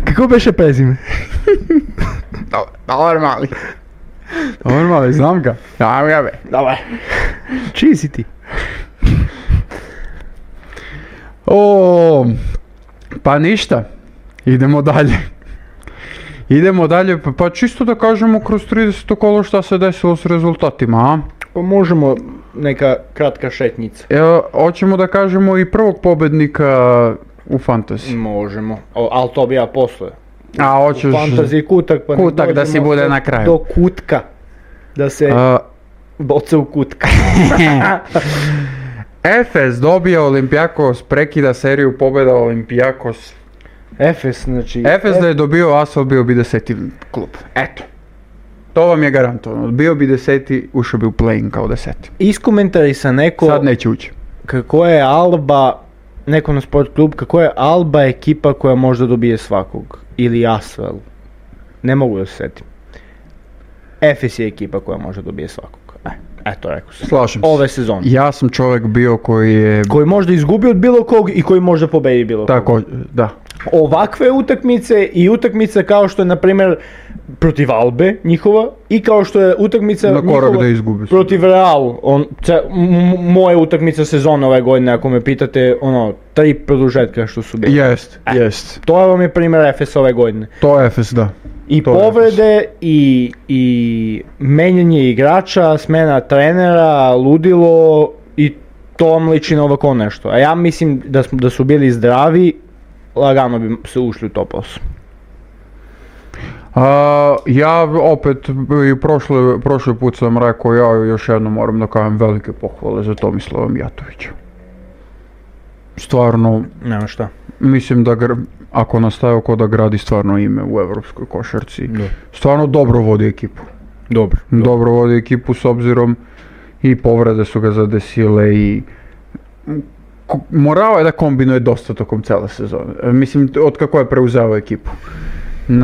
Kako beše prezime? Dobar mali. Dobar mali, znam ga. Znam ga, be. Dobar. Čiji si ti? Pa ništa. Idemo dalje, pa čisto da kažemo kroz 30. kolo šta se desilo s rezultatima, a? Pa možemo neka kratka šetnica. Hoćemo da kažemo i prvog pobednika u fantasy. Možemo, ali to bi ja posle. A hoćeš... U fantasy kutak, pa kutak da si bude na kraju. Do kutka. Da se boce u kutka. Efes dobija Olympiakos, prekida seriju pobjeda Olympiakos. Efes, znači... Efes da je dobio Asfalt, bio bi 10. klub. Eto. To vam je garantovano. Bio bi 10. ušao bi u play-in kao 10. Iskomentarisa neko... Sad neće ući. Kako je Alba, neko na sport klub, kako je Alba ekipa koja možda dobije svakog. Ili Asvel. Ne mogu da se setim. Efes je ekipa koja možda dobije svakog. Eto, rekao sam. Slažem se. Ove sezone. Ja sam čovjek bio koji je... Koji možda izgubi od bilo kog i koji možda pobedi bilo kog. Tako, da. Ovakve utakmice i utakmice kao što je, na primjer, protiv Albe njihova i kao što je utakmica njihova protiv Real. Moje utakmice sezone ove godine, ako me pitate, 3 produžetka što su bili. Jest. To vam je primjer Efes ove godine. To je Efes, da. I to povrede i menjanje igrača, smena trenera, ludilo i to vam liči na ovako nešto. A ja mislim da su bili zdravi, lagano bi se ušli u top 8. Ja opet i prošli put sam rekao, ja još jednom moram da kažem velike pohvale za Tomislava Mijatovića. Stvarno, nema šta. Mislim da ako nastaje oko da gradi stvarno ime u evropskoj košarci, stvarno dobro vodi ekipu. Dobro vodi ekipu s obzirom i povrede su ga zadesile i morao je da kombinuje dosta tokom cele sezone. Mislim, od kako je preuzeo ekipu.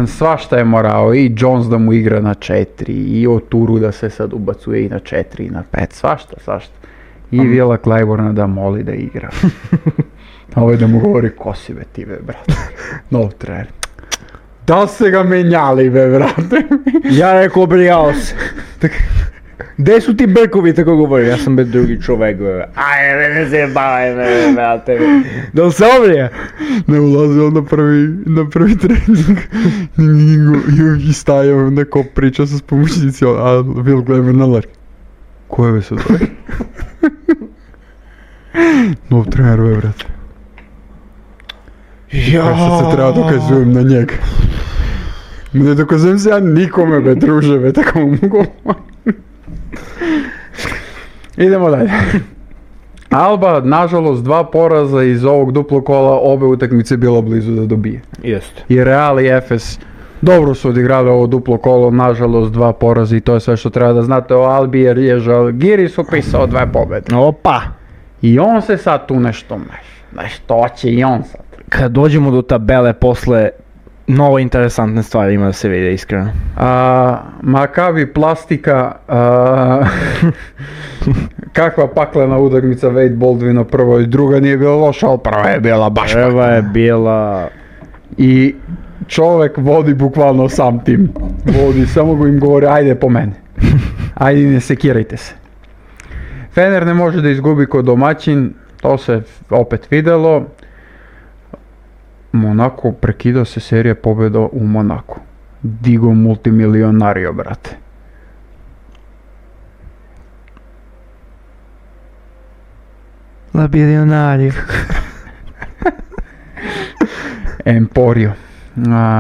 Svašta je morao, i Jones da mu igra na 4, i Oturu da se sad ubacuje i na 4 i na 5, svašta. I Vila Claiborna da moli da igra. Ovo je da mu govori ko si be ti, be, brate. Nov trener. Da se ga menjali, be, brate. Ja rekao, brijao se. Gdje su ti brkovi, tako govorim, ja sam bez drugi čovek, ajde, ne se bavaj, brate, da se obrija. Ne ulazi on na prvi trening i stajao neko priča sa pomoćnici, a Will Glamour na lark. Ko je se to? Nov trener, be, brate. Sad se treba dokazujem na njega. Ne dokazujem se ja nikome, be, druže, be, tako mogu. Idemo dalje. Alba, nažalost, 2 poraza iz ovog duplog kola, obe utakmice bilo blizu da dobije. Jeste. I Real i Efes dobro su odigrali ovo duplo kolo, nažalost 2 poraza i to je sve što treba da znate o Albi, jer je Žalgiris upisao 2 pobjede. Opa! I on se sad tu nešto hoće i on sad. Kad dođemo do tabele posle, mnogo interesantne stvari ima da se vide, iskreno. Maccabi Plastika, kakva paklena utakmica Wade Baldwina, prvo i druga nije bila loša, ali prva je bila baš paklena. Prva je bila... I čovjek vodi bukvalno sam tim. Vodi, samo go im govori, ajde po mene. Ajde, ne sekirajte se. Fener ne može da izgubi kod domaćin, to se opet videlo. Monako, prekidao se serija pobjeda u Monaku. Digo multimilionario, brate. La bilionario. Emporio.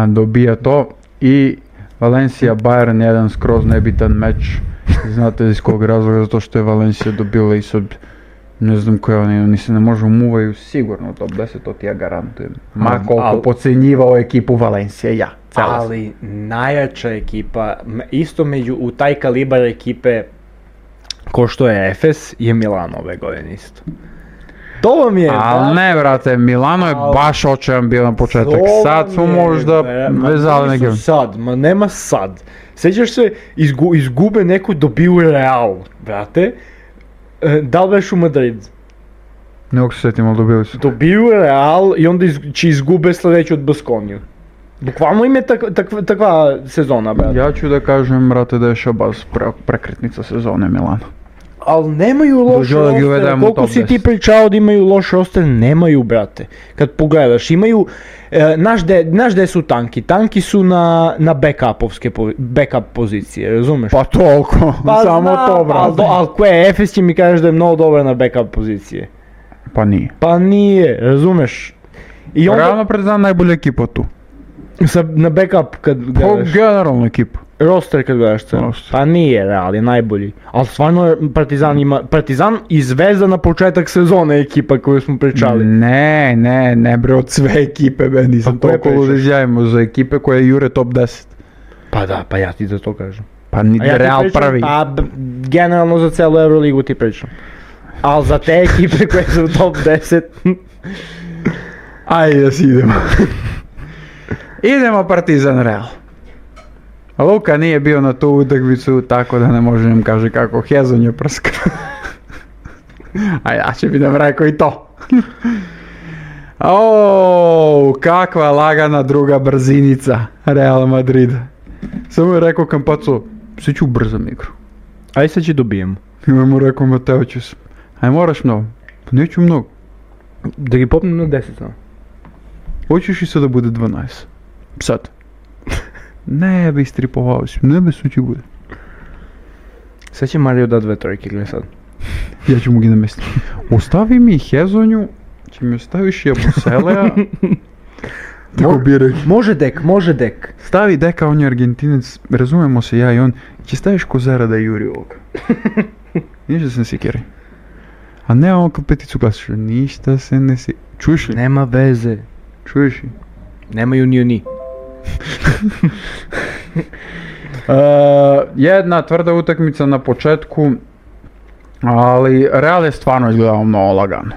Dobija to i Valencia Bayern, jedan skroz nebitan meč. Znate iz kog razloga, zato što je Valencia dobila i sad Ne znam koje oni se ne može umuvaju sigurno u top 10, to ti ja garantujem. Ma koliko pocenjivao ekipu Valencija, ja. Ali najjača ekipa, isto u taj kalibar ekipe ko što je Efes, je Milano ove godine isto. To vam je... Ali ne, brate, Milano je baš očajan bio na početak. Sad smo možda vezali neke... Nema sad. Sjećaš se, izgube neko, dobiju Real, brate. Da li veš u Madrid? Ne mogu se sjetim, ali dobili su. Dobiju Real i onda će izgube sljedeću od Baskoniju. Bukvalno im je takva sezona, brate. Ja ću da kažem, brate, da je Šabaz prekretnica sezone Milana. Ali nemaju loš roster, koliko si ti pričao da imaju loš roster, nemaju, brate. Kad pogledaš, imaju, znaš gde su tanki? Tanki su na backup pozicije, razumeš? Pa toliko, samo to, brate. Ali koje, Efes će mi kažeš da je mnogo dobar na backup pozicije? Pa nije. Pa nije, razumeš? Realno Partizan najbolja ekipa tu. Na backup kad gledaš? Generalna ekipa. Roster kad gledaš celo. Pa nije Real, je najbolji. Ali stvarno Partizan i Zvezda na početak sezone ekipa koju smo pričali. Ne bre, od sve ekipe, be, nisam toliko ludežajmo za ekipe koje jure top 10. Pa da, pa ja ti za to kažem. Pa ni Real prvi. Pa generalno za celu Euroligu ti pričam. Ali za te ekipe koje su u top 10... Ajde da si idemo. Idemo Partizan Real. Luka nije bio na tu utakmicu, tako da ne može nam kaže kako Hezon je prska. A ja će bi nam rekao i to. Kakva lagana druga brzinica Real Madrid. Samo je rekao Campazzo, sve ću ubrzam igru. Aj sad će dobijemo. I mu rekao Mateo ću se. Aj moraš mnogo. Pa neću mnogo. Da gi popnem na 10 samo. Hoćeš i sad da bude 12. Sad. Ne bi istripovao si, ne bi sući bude. Sad će Mario da 2 trojke, gledaj sad. Ja ću mu gi namestiti. Ostavi mi Hezonju, će mi ostaviš i Abuseleja. Tako bi rekao. Može dek. Stavi deka, on je Argentinec, razumemo se ja i on. Će staviš Kozera da juri ovoga. Ništa se ne sikeri. A ne on kao peticu glasiš, ništa se ne sikeri. Čuješ li? Nema veze. Čuješ li? Nemaju ni oni. Jedna tvrda utakmica na početku, ali Real je stvarno izgledao mnogo lagano.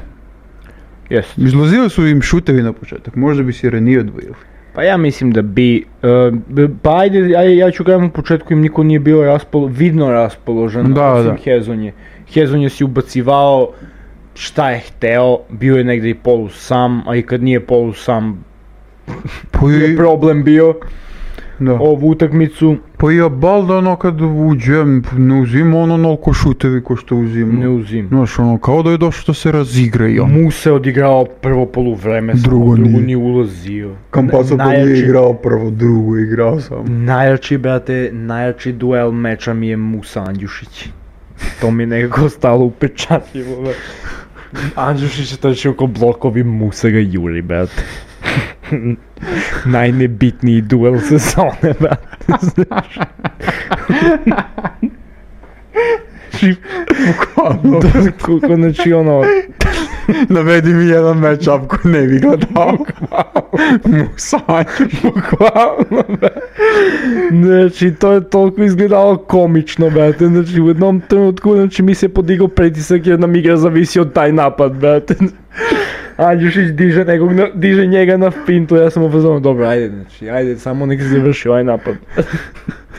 Yes. Izlazili su im šutevi na početak, možda bi si Reni odvojili. Pa ja mislim da bi, pa ajde, ja ću gledam u početku im niko nije bio vidno raspoložen, osim Hezonje. Hezonje si ubacivao šta je hteo, bio je negdje i polus sam, a i kad nije polus sam, je problem bio. Da. Ovu utakmicu. Pa ja balda ono kad uđem, ne uzim ono onoliko šutevi ko što uzim. Ne uzim. Znaš ono, kao da je došlo da se razigra i on. Mu se odigrao prvo poluvreme, drugo nije ulazio. Campazzo pa nije igrao prvo, drugo igrao sam. Najjači duel meča mi je Musa Andjušić. To mi je nekako stalo upečatljivo. Andjušić je tači oko blokovi, Musa ga juri, brate. Najnebitniji duel sezone, brate, znaš. Bukvalno. Znači ono... Navedi mi jedan match-up ko ne bi gledao. Musanj. Bukvalno, brate. Znači, to je toliko izgledalo komično, brate. Znači, u jednom trenutku, znači, mi se podigao pritisak jer nam igra zavisi od taj napad, brate. Andjušić diže njega na fintu, ja sam ufazano, dobro, ajde, samo nek se završi ovaj napad.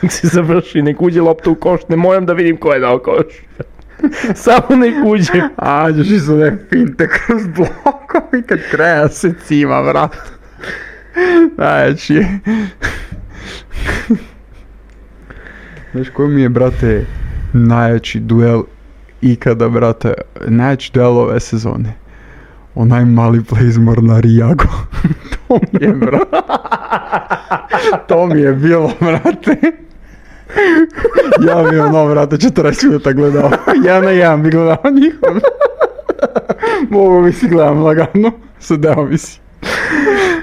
Nek se završi, nek uđe lopta u koš, ne moram da vidim ko je dao koš. Samo nek uđe. Andjušić su ne finte kroz blokovi kad kreja se cima, vrat. Znači... Znaš koji mi je, brate, najjači duel ikada, brate, najjači duel ove sezone? Onaj mali play iz Mornarijago. To mi je bilo, brate. Ja bi ono, brate, 40 minuta gledao. 1-1 bi gledao njihov. Mogu mi si gledam lagano. Sedeo mi si.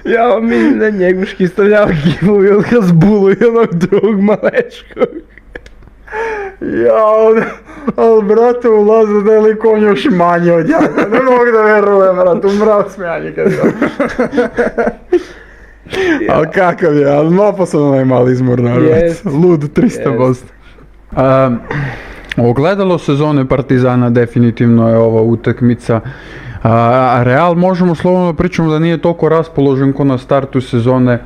Ja mislim da njeguški stavljao gibovi od Hasbulu i onog drugog malečkog. Jao, Ali, brate, ulaze da je lik on još manje od njega. Ne mogu da verujem, brate, umrao smijanje kad je. Ali kakav je, ali naposledno onaj mali izmornar. Lud 300%. Ogledalo sezone Partizana definitivno je ova utakmica. Real možemo slobodno pričamo da nije toliko raspoložen ko na startu sezone,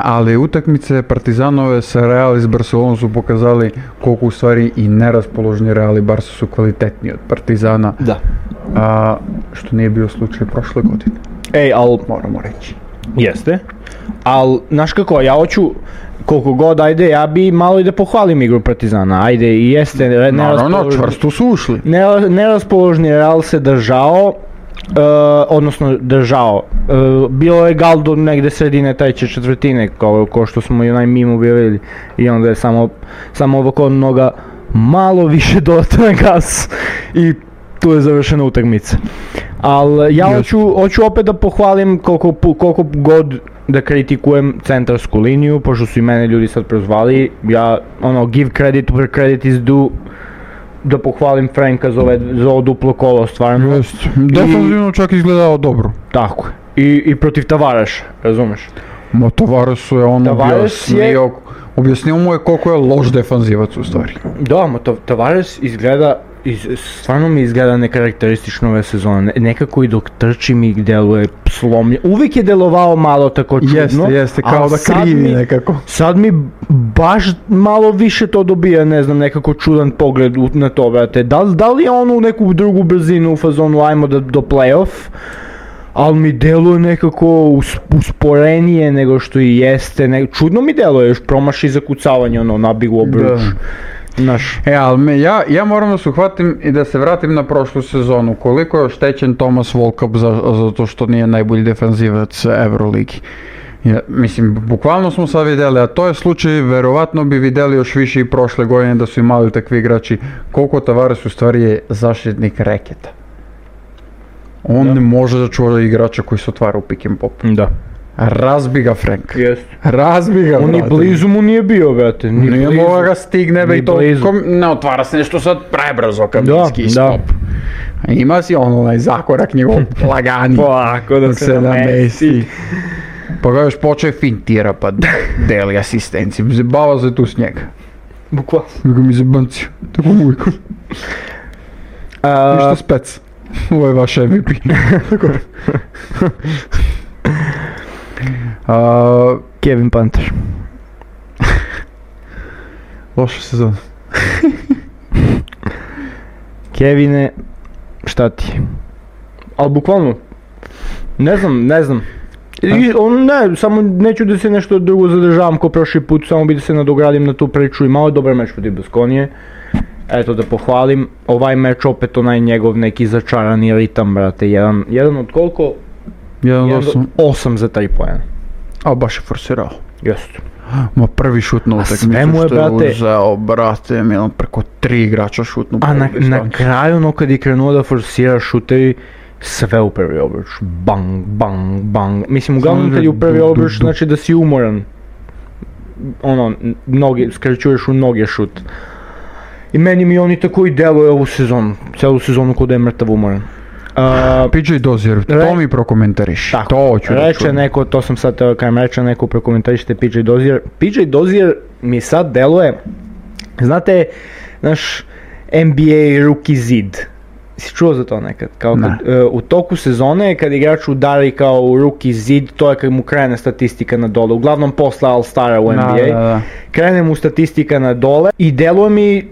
ali utakmice Partizanove sa Real iz Barcelona su pokazali koliko u stvari i neraspoloženi Real i Barca su kvalitetniji od Partizana. Da. Što nije bio slučaj prošle godine. Moramo reći. Jeste, ali znaš kako, ja hoću koliko god, ajde, ja bi malo i da pohvalim igru Partizana, ajde, i jeste naravno, čvrsto su ušli. Neraspoložni Real se držao, bilo je gal do negde sredine treće četvrtine, kao što smo i onaj mim objavili, i onda je samo ovako noga malo više dodata na gas i tu je završena utakmica. Ali ja hoću opet da pohvalim koliko god da kritikujem centarsku liniju, pošto su i mene ljudi sad prozvali, ja give credit where credit is due, da pohvalim Franka za ovo duplo kolo, stvarno. Jest, definitivno čak izgledao dobro. Tako je, i protiv Tavareša, razumeš? Ma Tavaresu je objasnio mu je koliko je loš defanzivac u stvari. Da, Tavares izgleda, stvarno mi izgleda nekarakteristično ove sezone, nekako i dok trči mi deluje slomljen, uvijek je delovao malo tako čudno. Jeste, kao da krivi nekako. Sad mi baš malo više to dobija, ne znam, nekako čudan pogled na to, brate. Da li je on u neku drugu brzinu u fazonu ajmo do play-off, ali mi deluje nekako usporenije nego što i jeste, čudno mi deluje, još promaši zakucavanje, nabig u obruč. Ali ja moram da se uhvatim i da se vratim na prošlu sezonu. Koliko je oštećen Thomas Volkap zato što nije najbolji defanzivac Euroligi. Mislim, bukvalno smo sad vidjeli, a to je slučaj, verovatno bi vidjeli još više i prošle godine da su imali takvi igrači. Koliko Tavares u stvari je zaštitnik reketa. On ne može da čuva igrača koji se otvara u pick and pop. Da. Razbi ga Frank. Jest. Razbi ga, brate. On i blizu mu nije bio, brate. Nije moga ga stigne, i to ne otvara se nešto sad prebrzo Kaminski stop. Ima si onaj zakorak njegov lagani. Polako da se namesti. Pa ga još počeo fintira pa deli asistenciju. Zabava se tu s njega. Bukvalno. Ga mi zabancio. Tako mujko. Ništa spec. Ovo je vaš MVP. Kevin Panter. Loša sezona. Kevine, šta ti? Ali bukvalno, ne znam. Samo neću da se nešto drugo zadržavam ko prošli put, samo bi da se nadogradim na tu priču i malo dobar meč protiv Baskonije. Eto da pohvalim, ovaj meč opet onaj njegov neki začarani ritam, brate, jedan od koliko? 8 za 3 poena. A baš je forsirao. Jeste. Ma prvi šut na utakmicu što je uzeo, brate, Milan preko 3 igrača šutnu. A na kraju kad je krenuo da forsira šutevi, sve u prvi obruč. Bang, bang, bang. Mislim, uglavnom kad je u prvi obruč, znači da si umoran. Skraćuješ u noge šut. I meni mi oni tako i deluje ovu sezonu, celu sezonu kod je mrtav umoran. PJ Dozier, to mi prokomentariš. Tako, to hoću da čujem. Neko, to sam sad teo kajem reče, neko prokomentarište PJ Dozier. PJ Dozier mi sad deluje, znate, naš NBA rookie zid. Si čuo za to nekad? Kao u toku sezone, kad igrač udari kao u rookie zid, to je kad mu krene statistika na dole. Uglavnom posle All-Stara u NBA. Krene mu statistika na dole i deluje mi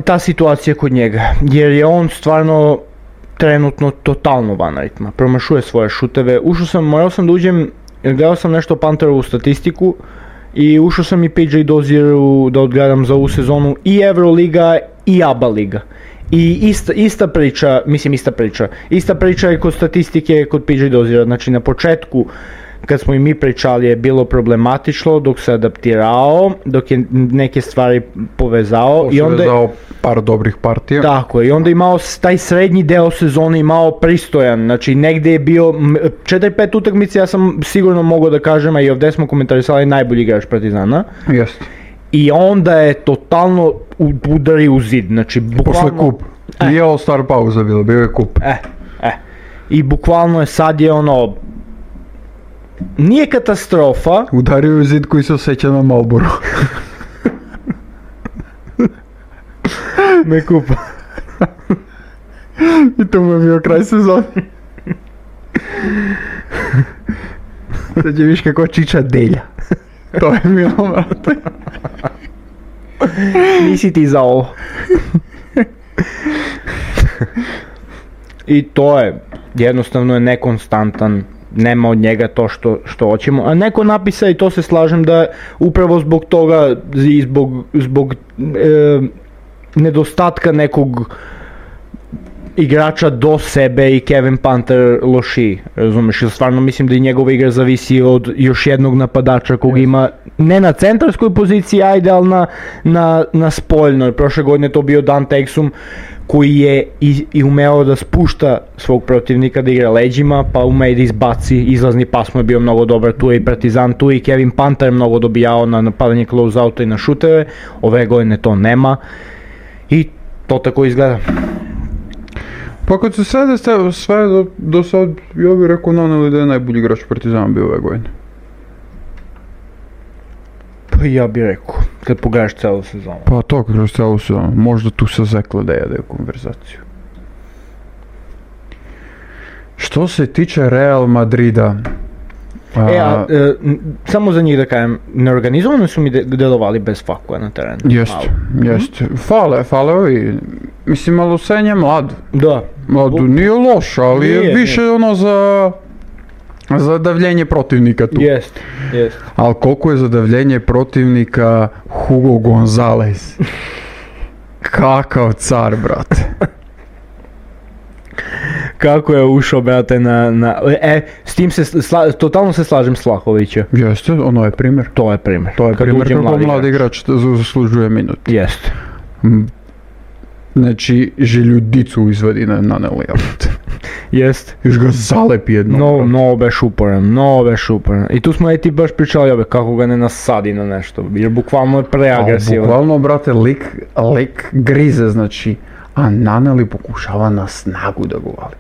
ta situacija kod njega. Jer je on stvarno trenutno totalno van ritma, promašuje svoje šuteve. Morao sam da uđem, gledao sam nešto Panterovu statistiku i ušao sam i PJ Dozieru da odgledam za ovu sezonu i Euroliga i ABA liga. I ista priča je kod statistike kod PJ Doziera, znači na početku kad smo i mi pričali je bilo problematično dok se adaptirao, dok je neke stvari povezao i onda je par dobrih partija. Tako je, i onda je imao taj srednji deo sezone imao pristojan, znači negdje je bio 4-5 utakmice, ja sam sigurno mogao da kažem, a i ovdje smo komentarisali najbolji igrač Partizana. Jeste. I onda je totalno udari u zid, znači bukvalno... Posle kup. Nije All Star pauza bila, bio je kup. I bukvalno je sad je ono... Nije katastrofa. Udario je zid koji se osjeća na Marlboru. Ne kupa. I to mu je bio kraj sezone. Sad će viš kako čiča delja. To je bilo, brate. Nisi ti za ovo. I to je, jednostavno je nekonstantan, nema od njega to što hoćemo. A neko napisa, i to se slažem, da upravo zbog toga i zbog nedostatka nekog igrača do sebe i Kevin Panther lošiji, razumeš, jer stvarno mislim da i njegova igra zavisi od još jednog napadača kog ima, ne na centarskoj poziciji, ajde, ali na spoljnoj. Prošle godine to bio Dante Exum, koji je i umeo da spušta svog protivnika, da igra leđima, pa ume da izbaci, izlazni pas mu je bio mnogo dobar, tu je i Partizan, tu je i Kevin Panther mnogo dobijao na napadanje close-outa i na šuteve, ove godine to nema i to tako izgleda. Pa kad se sve do sad, ja bih rekao Naneli da je najbolji igrač Partizana bio ove godine. Pa ja bih rekao, kad pogledaš celu sezonu. Pa to kroz celu sezonu, možda tu sa Zekla da jede konverzaciju. Što se tiče Real Madrida... samo za njih da kažem, neorganizovano su mi delovali bez fakua na terenu. Jeste. Fale ovi, mislim, malo Sen je mlad. Da. Mladu nije loš, ali je više ono za davljenje protivnika tu. Jest. Ali koliko je za davljenje protivnika Hugo Gonzalez? Kakav car, brate. Kako je ušao, brate, s tim totalno se slažem s Vlahovića. Jeste, ono je primjer. To je primjer. Kako mlad igrač zaslužuje minut. Jeste. Znači, željudicu izvadi na Nelija. Jest. Još ga zalepi jedno. Mnogo beš uporan. I tu smo ti baš pričali kako ga ne nasadi na nešto, jer bukvalno je preagresivan. Bukvalno, brate, lik grize, znači, a Naneli pokušava na snagu da go vali.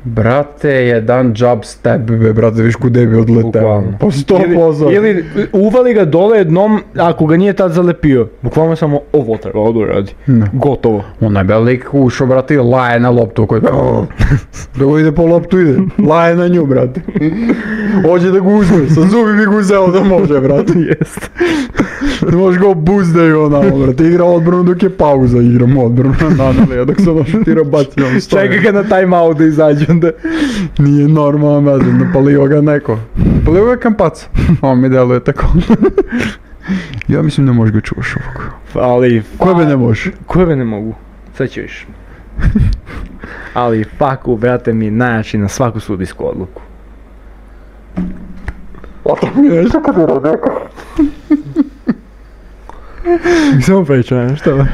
Brate, jedan jab step, brate, viš kude bi odleteo. Pa 100%. Ili uvali ga dole jednom, ako ga nije tad zalepio. Bukvalno samo ovo treba radi. Gotovo. Onaj bel lik ušao, brate, i laje na loptu koji... Da go ide po loptu, ide. Laje na nju, brate. Hoće da ga uzme, sa zubi bi ga uzeo da može, brate. Jest. Ne možeš ga obuzdaju onamo, brate. Igra odbranu dok je pauza, igram odbranu na Nanelija, dok se ono šutira baci, on stoji. Čeka ga na time-out da izađe onda. Nije normalno, brate, napalio ga neko. Napalio ga Kampac. On mi deluje tako. Ja mislim ne možeš ga čuvaš ovako. Ali... Koje ne možeš? Koje ne mogu? Sad ću viš. Ali faku, brate, mi najjači na svaku sudijsku odluku. Oto mi je nešto kad je neko. Samo pričam, što ba?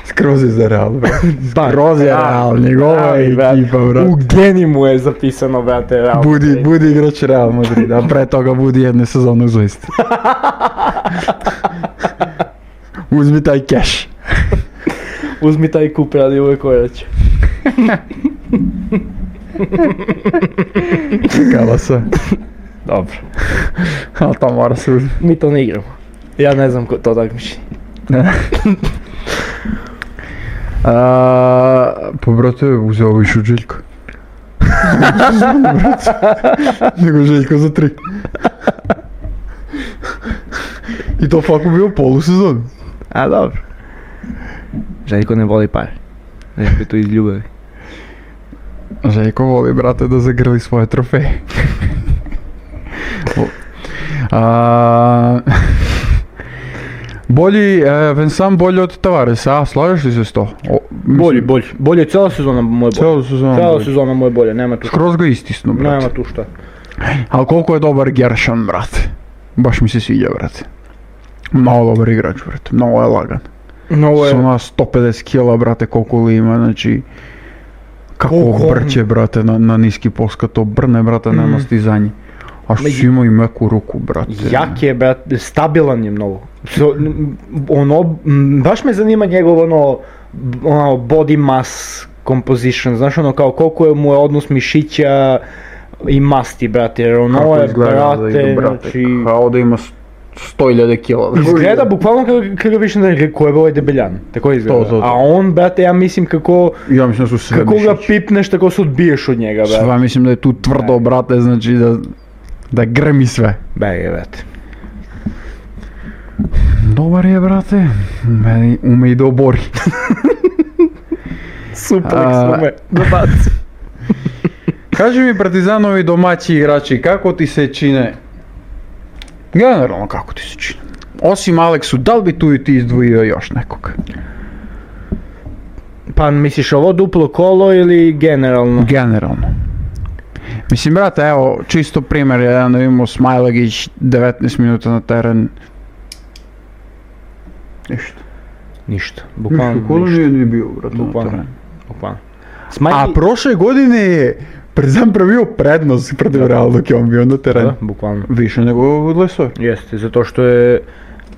Skroz je za Real, brate. Skroz je Real, njegova ekipa, brate. U geni mu je zapisano, brate, Real. Budi igrač Real Madrid, a pre toga budi jedne sezone u Zvezdi. Uzmi taj cash. Uzmi taj kup, radi uvek koraće. Kala se. Dobro. Ali to mora se uzmi. Mi to ne igramo. Ja ne znam ko to takmiči. Pa brate, uzeo ovo išu Željko. Nego Željko za 3. I to faku bio polusezon. A dobro. Željko ne voli pare. Željko je tu iz ljubavi. Željko voli, brate, da zagrli svoje trofeje. Vincent bolji od Tavaresa, slažeš li se s to? Bolji, cijela sezona mu je bolje. Cijela sezona mu je bolje, nema tu šta. Skroz ga istisnu, brate. Nema tu šta. Ali koliko je dobar Gershon, brate. Baš mi se sviđa, brate. Mnogo dobar igrač, brate. Mnogo je lagan. S ona 150 kila, brate, koliko li ima, znači... Kako brće, brate, na niski post, kad to brne, brate, nema stizanje. A što si imao i meku ruku, brate. Jak je, brate, stabilan je mnogo. Baš me zanima njegov body mass composition, znaš kao koliko mu je odnos mišića i masti, brate, jer Kako je, izgleda brate, znači... Kao da ima 100.000 kila. Izgleda bukvalno kako ga više da ko je ovaj debeljan, tako izgleda. To. A on, brate, ja mislim kako da su sve kako ga pipneš, tako se odbiješ od njega, brate. Sva mislim da je tu tvrdo, brate, znači da grmi sve. Brate. Dobar je, brate, ume i da obori. Suplex ume da baci. Kaži mi, Partizanovi domaći igrači, kako ti se čine? Generalno kako ti se čine? Osim Aleksu, da li bi tu i ti izdvojio još nekog? Pa misliš ovo duplo kolo ili generalno? Generalno. Mislim, brate, evo, čisto primjer, jedan da imamo Smajlagić, 19 minuta na teren. Ništa. Bukvalno Kolo nije ni bio, brate, na Bukvalno. terenu. Smajli... A prošle godine je Partizan pravio prednost protiv Real dok je on bio na terenu. Da, bukvalno. Više nego od Lesove. Jeste,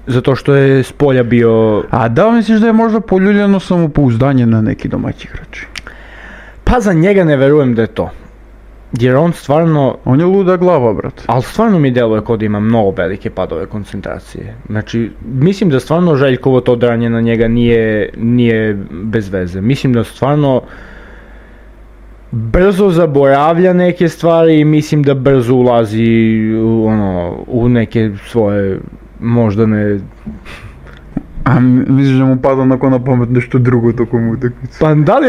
zato što je s polja bio... A da li misliš da je možda poljuljeno samopouzdanje na neki domaći igrači? Pa za njega ne verujem da je to. Jer on stvarno... On je luda glava, brate. Ali stvarno mi deluje kao da ima mnogo velike padove koncentracije. Znači, mislim da stvarno Željkovo to dranje na njega nije bez veze. Mislim da stvarno brzo zaboravlja neke stvari i mislim da brzo ulazi u neke svoje možda ne... A misliš da mu pada na pamet nešto drugo tokom utakmice? Pa da li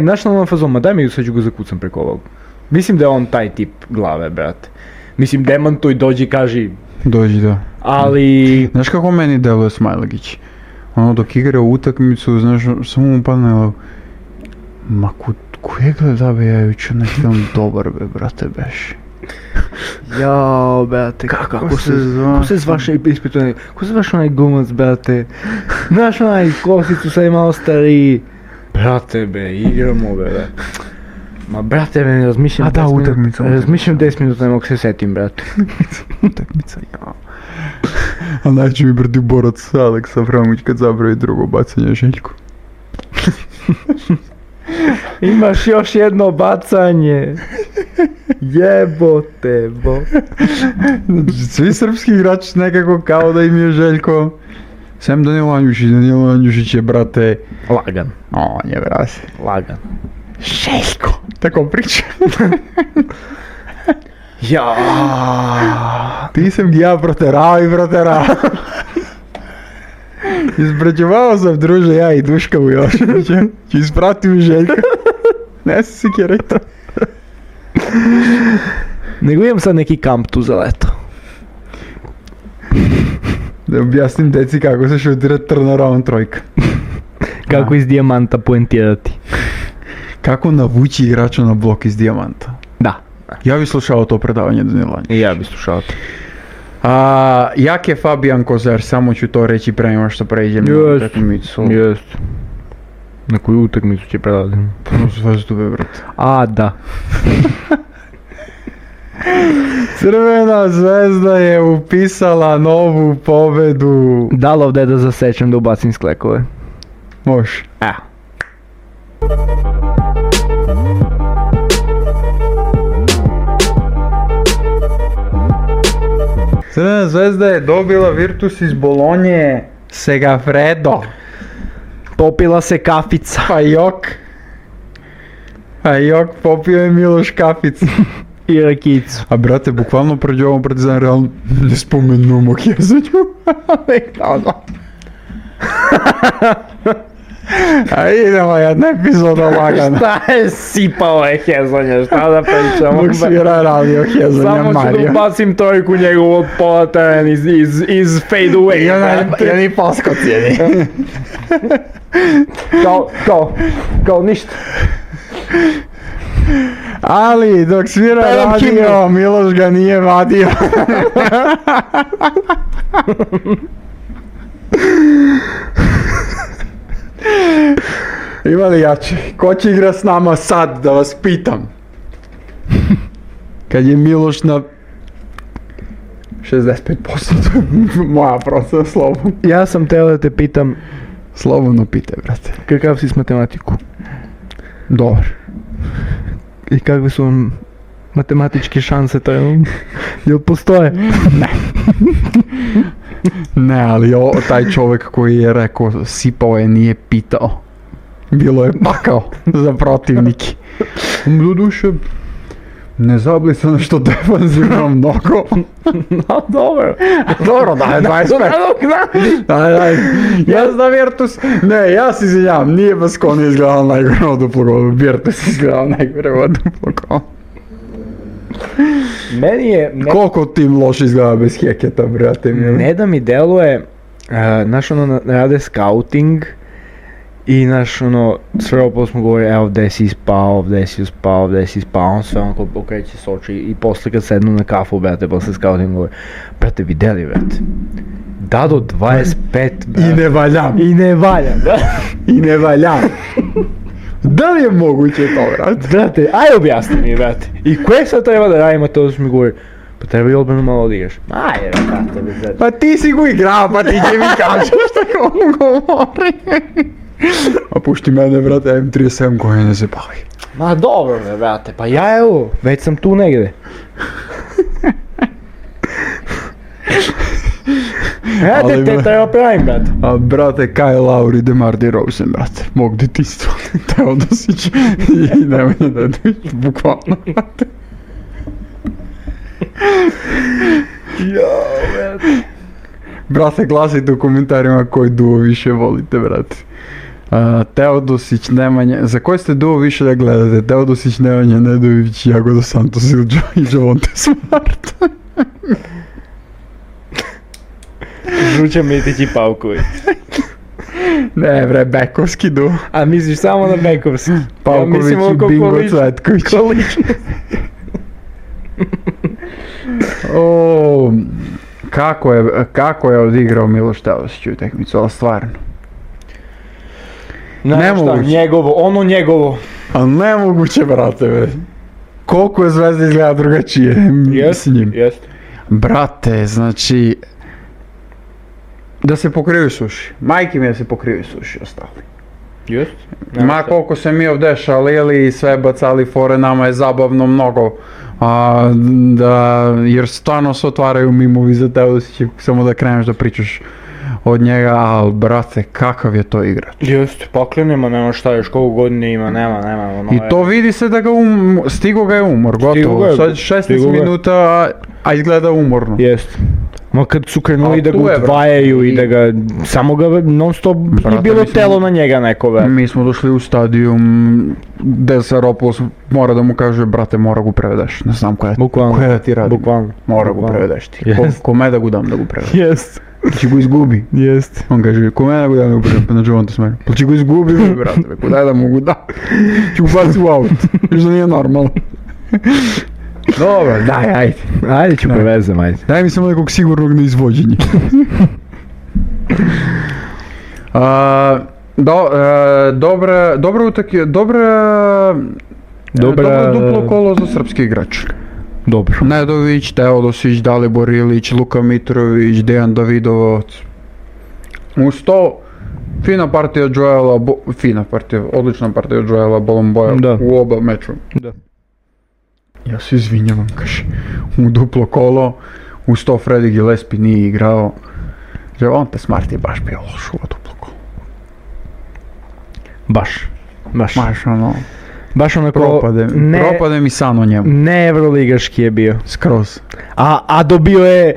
znaš na onom fazonu, daj mi sad ću ga zakucam preko ovog. Mislim da je on taj tip glave, brate. Mislim, demantuj, dođi, kaži. Dođi, da. Ali... Znaš kako meni deluje Smajlagić? Dok igra utakmicu, znaš, samo mu padne ma koje gleda be, ja jučer na film dobar be, brate, beš. Jao, brate, kako se zvaše ispituje, kako se zvaš onaj glumac, brate? Znaš onaj kosicu, sad je malo stariji. Brate be, igramo be, brate. Ma brate, ne razmišljam. A da, utakmica. Razmišljam 10 minuta, ne mogu se setim, brate. Utakmica, ja. A najče mi brdi borac Aleksa Framuć kad zabravi drugo bacanje Željku. Imaš još jedno bacanje. Jebote, bo. Svi srpski igrači nekako kao da im je Željko. Sem Danilo Andjušić je, brate... Lagan. On je, brate. Lagan. Željko. Tako priča. Ja. Ti sam ja proterao. Izbrađevao sam, druže, ja i Duška Vujoševića. Ću ispratim Željka. Ne se sikirajte. Nego imam sad neki kamp tu za leto. Da objasnim deci kako se šutira turnaround trojka. Kako iz dijamanta poentirati. Kako navući igrača na blok iz dijamanta. Da. Ja bih slušao to predavanje Danila Andjušića. I ja bih slušao to. Jak je Fabijan Kozer, samo ću to reći pre nego što pređem na utakmicu. Jest. Na koju utakmicu će predavati? Puno Zvezdu, brate. A, da. Crvena Zvezda je upisala novu pobedu. Da li ovdje da zasečem da ubacim sklekove? Može. Crvena Zvezda je dobila Virtus iz Bolonje, Segafredo. Popila se kafica. Pa jok, popio je Miloš kaficu. I rakicu. A brate, bukvalno prođe ovom Partizan realno ne spomenu mog jezanju. A idemo jedna epizoda lagana. Šta je sipao hezanja, šta da pričamo? Dok svira radio hezanja Mario. Samo ću da ubacim trojku njegovu od pola teren iz fade away. Ja ni pasko cijeni. Kao ništa. Ali dok svira radio, Miloš ga nije vadio. Ima li jače? Ko će igra s nama sad, da vas pitam? Kad je Miloš na 65%, moja procena, slobodno. Ja sam teo da te pitam, Slobodno pitaj, brate. kakav si s matematiku? Dobar. I kakve su vam matematičke šanse trenutno? Jel postoje? Ne, ali taj čovjek koji je rekao sipao je, nije pitao. Bilo je pakao za protivnike. Doduše, ne zablisano što defanzivno mnogo. No, dobro. Dobro, daj 25. Daj. Ja znam Virtus. Ne, ja se izvinjavam, nije Baskoni izgledao najgore od duplog golu. Virtus izgledao najgore od duplog golu. Meni je... Koliko tim loše izgleda bez Heketa, brate mi? Ne da mi deluje, znaš ono, rade scouting i znaš ono, sve opet smo govorili, evo gde si spao, on sve onako okreće s oči i posle kad sednu na kafu, brate, posle scouting govori, brate, videli, brate, Dado 25, brate. I ne valjam. I ne valjam. Da li je moguće to, brate? Brate, aj objasni mi, brate. I koje sad treba da radimo, to su mi govori, pa treba i odbranu malo odigraš. Ajde, brate, brate. Pa ti si go igrao, pa ti će mi kažeš što on govori. A pušti mene, brate, ja imam 37 godina, se bavi. Ma dobro me, brate, pa ja evo, već sam tu negde. Brate, te treba pravim, brate. A brate, Kyle Lowry, DeMar DeRozan, brate, mog detinjstva, Teodosić i Nemanja Nedović, bukvalno, brate. Jao, brate. Brate, glasajte u komentarima koji duo više volite, brate. Teodosić, Nemanja, za koji ste duo više da gledate? Teodosić, Nemanja Nedović, Jagoda Santos i Javonte Smart. Žuća Mitić i Pavković. Ne bre, bekovski duo. A misliš samo na bekovski? Pavković i Bingo Cvetković. Kako je odigrao Miloš Teodosić u utakmicu, ali stvarno. Nemoguće. Njegovo. A nemoguće, brate, be. Koliko je Zvezda izgleda drugačije s njim. Jest. Brate, znači... Da se pokriju suši. Majke mi da se pokriju suši ostali. Jest. Ma koliko se mi ovdje šalili i sve bacali fore, nama je zabavno mnogo. Jer stvarno se otvaraju mimovi za Teodosića, samo da kreneš da pričaš od njega, ali brate, kakav je to igrač. Jeste, poklenima, nema šta, još koliko godine ima, nema. I to vidi se da ga stigo ga je umor, gotovo. Sad 16 minuta, a izgleda umorno. Jeste. Ma kad su krenuli da ga udvajaju i da ga, samo ga non stop nije bilo telo na njega neko, be. Mi smo došli u stadijum gde Saropoulos mora da mu kaže, brate, mora ga prevedeš, ne znam koja da ti radi. Bukvalno. Mora ga prevedeš ti. Kome da ga dam da ga prevedeš? Jest. Či go izgubi. Jest. On kaže, kome da ga dam da ga prevedeš? Pa na Javonte Smart. Pa či go izgubi, brate, kudaj da mogu da. Či go baci u aut. Još da nije normalno. Dobro, daj, ajde. Ajde ću prevezem, ajde. Daj mi samo nekog sigurnog na izvođenje. Dobro duplo kolo za srpski igrač. Dobro. Nedović, Teodosić, Dalibor Ilić, Luka Mitrović, Dejan Davidovac. Uz to, odlična partija Joela Bolomboja u oba meču. Da. Ja se izvinjavam, kaže, u duplo kolo, uz to Freddy Gillespie nije igrao. Javonte Smart je baš bio loš u duplo kolo. Baš ono... Baš onako, propade mi san o njemu. Ne evroligaški je bio. Skroz. A dobio je,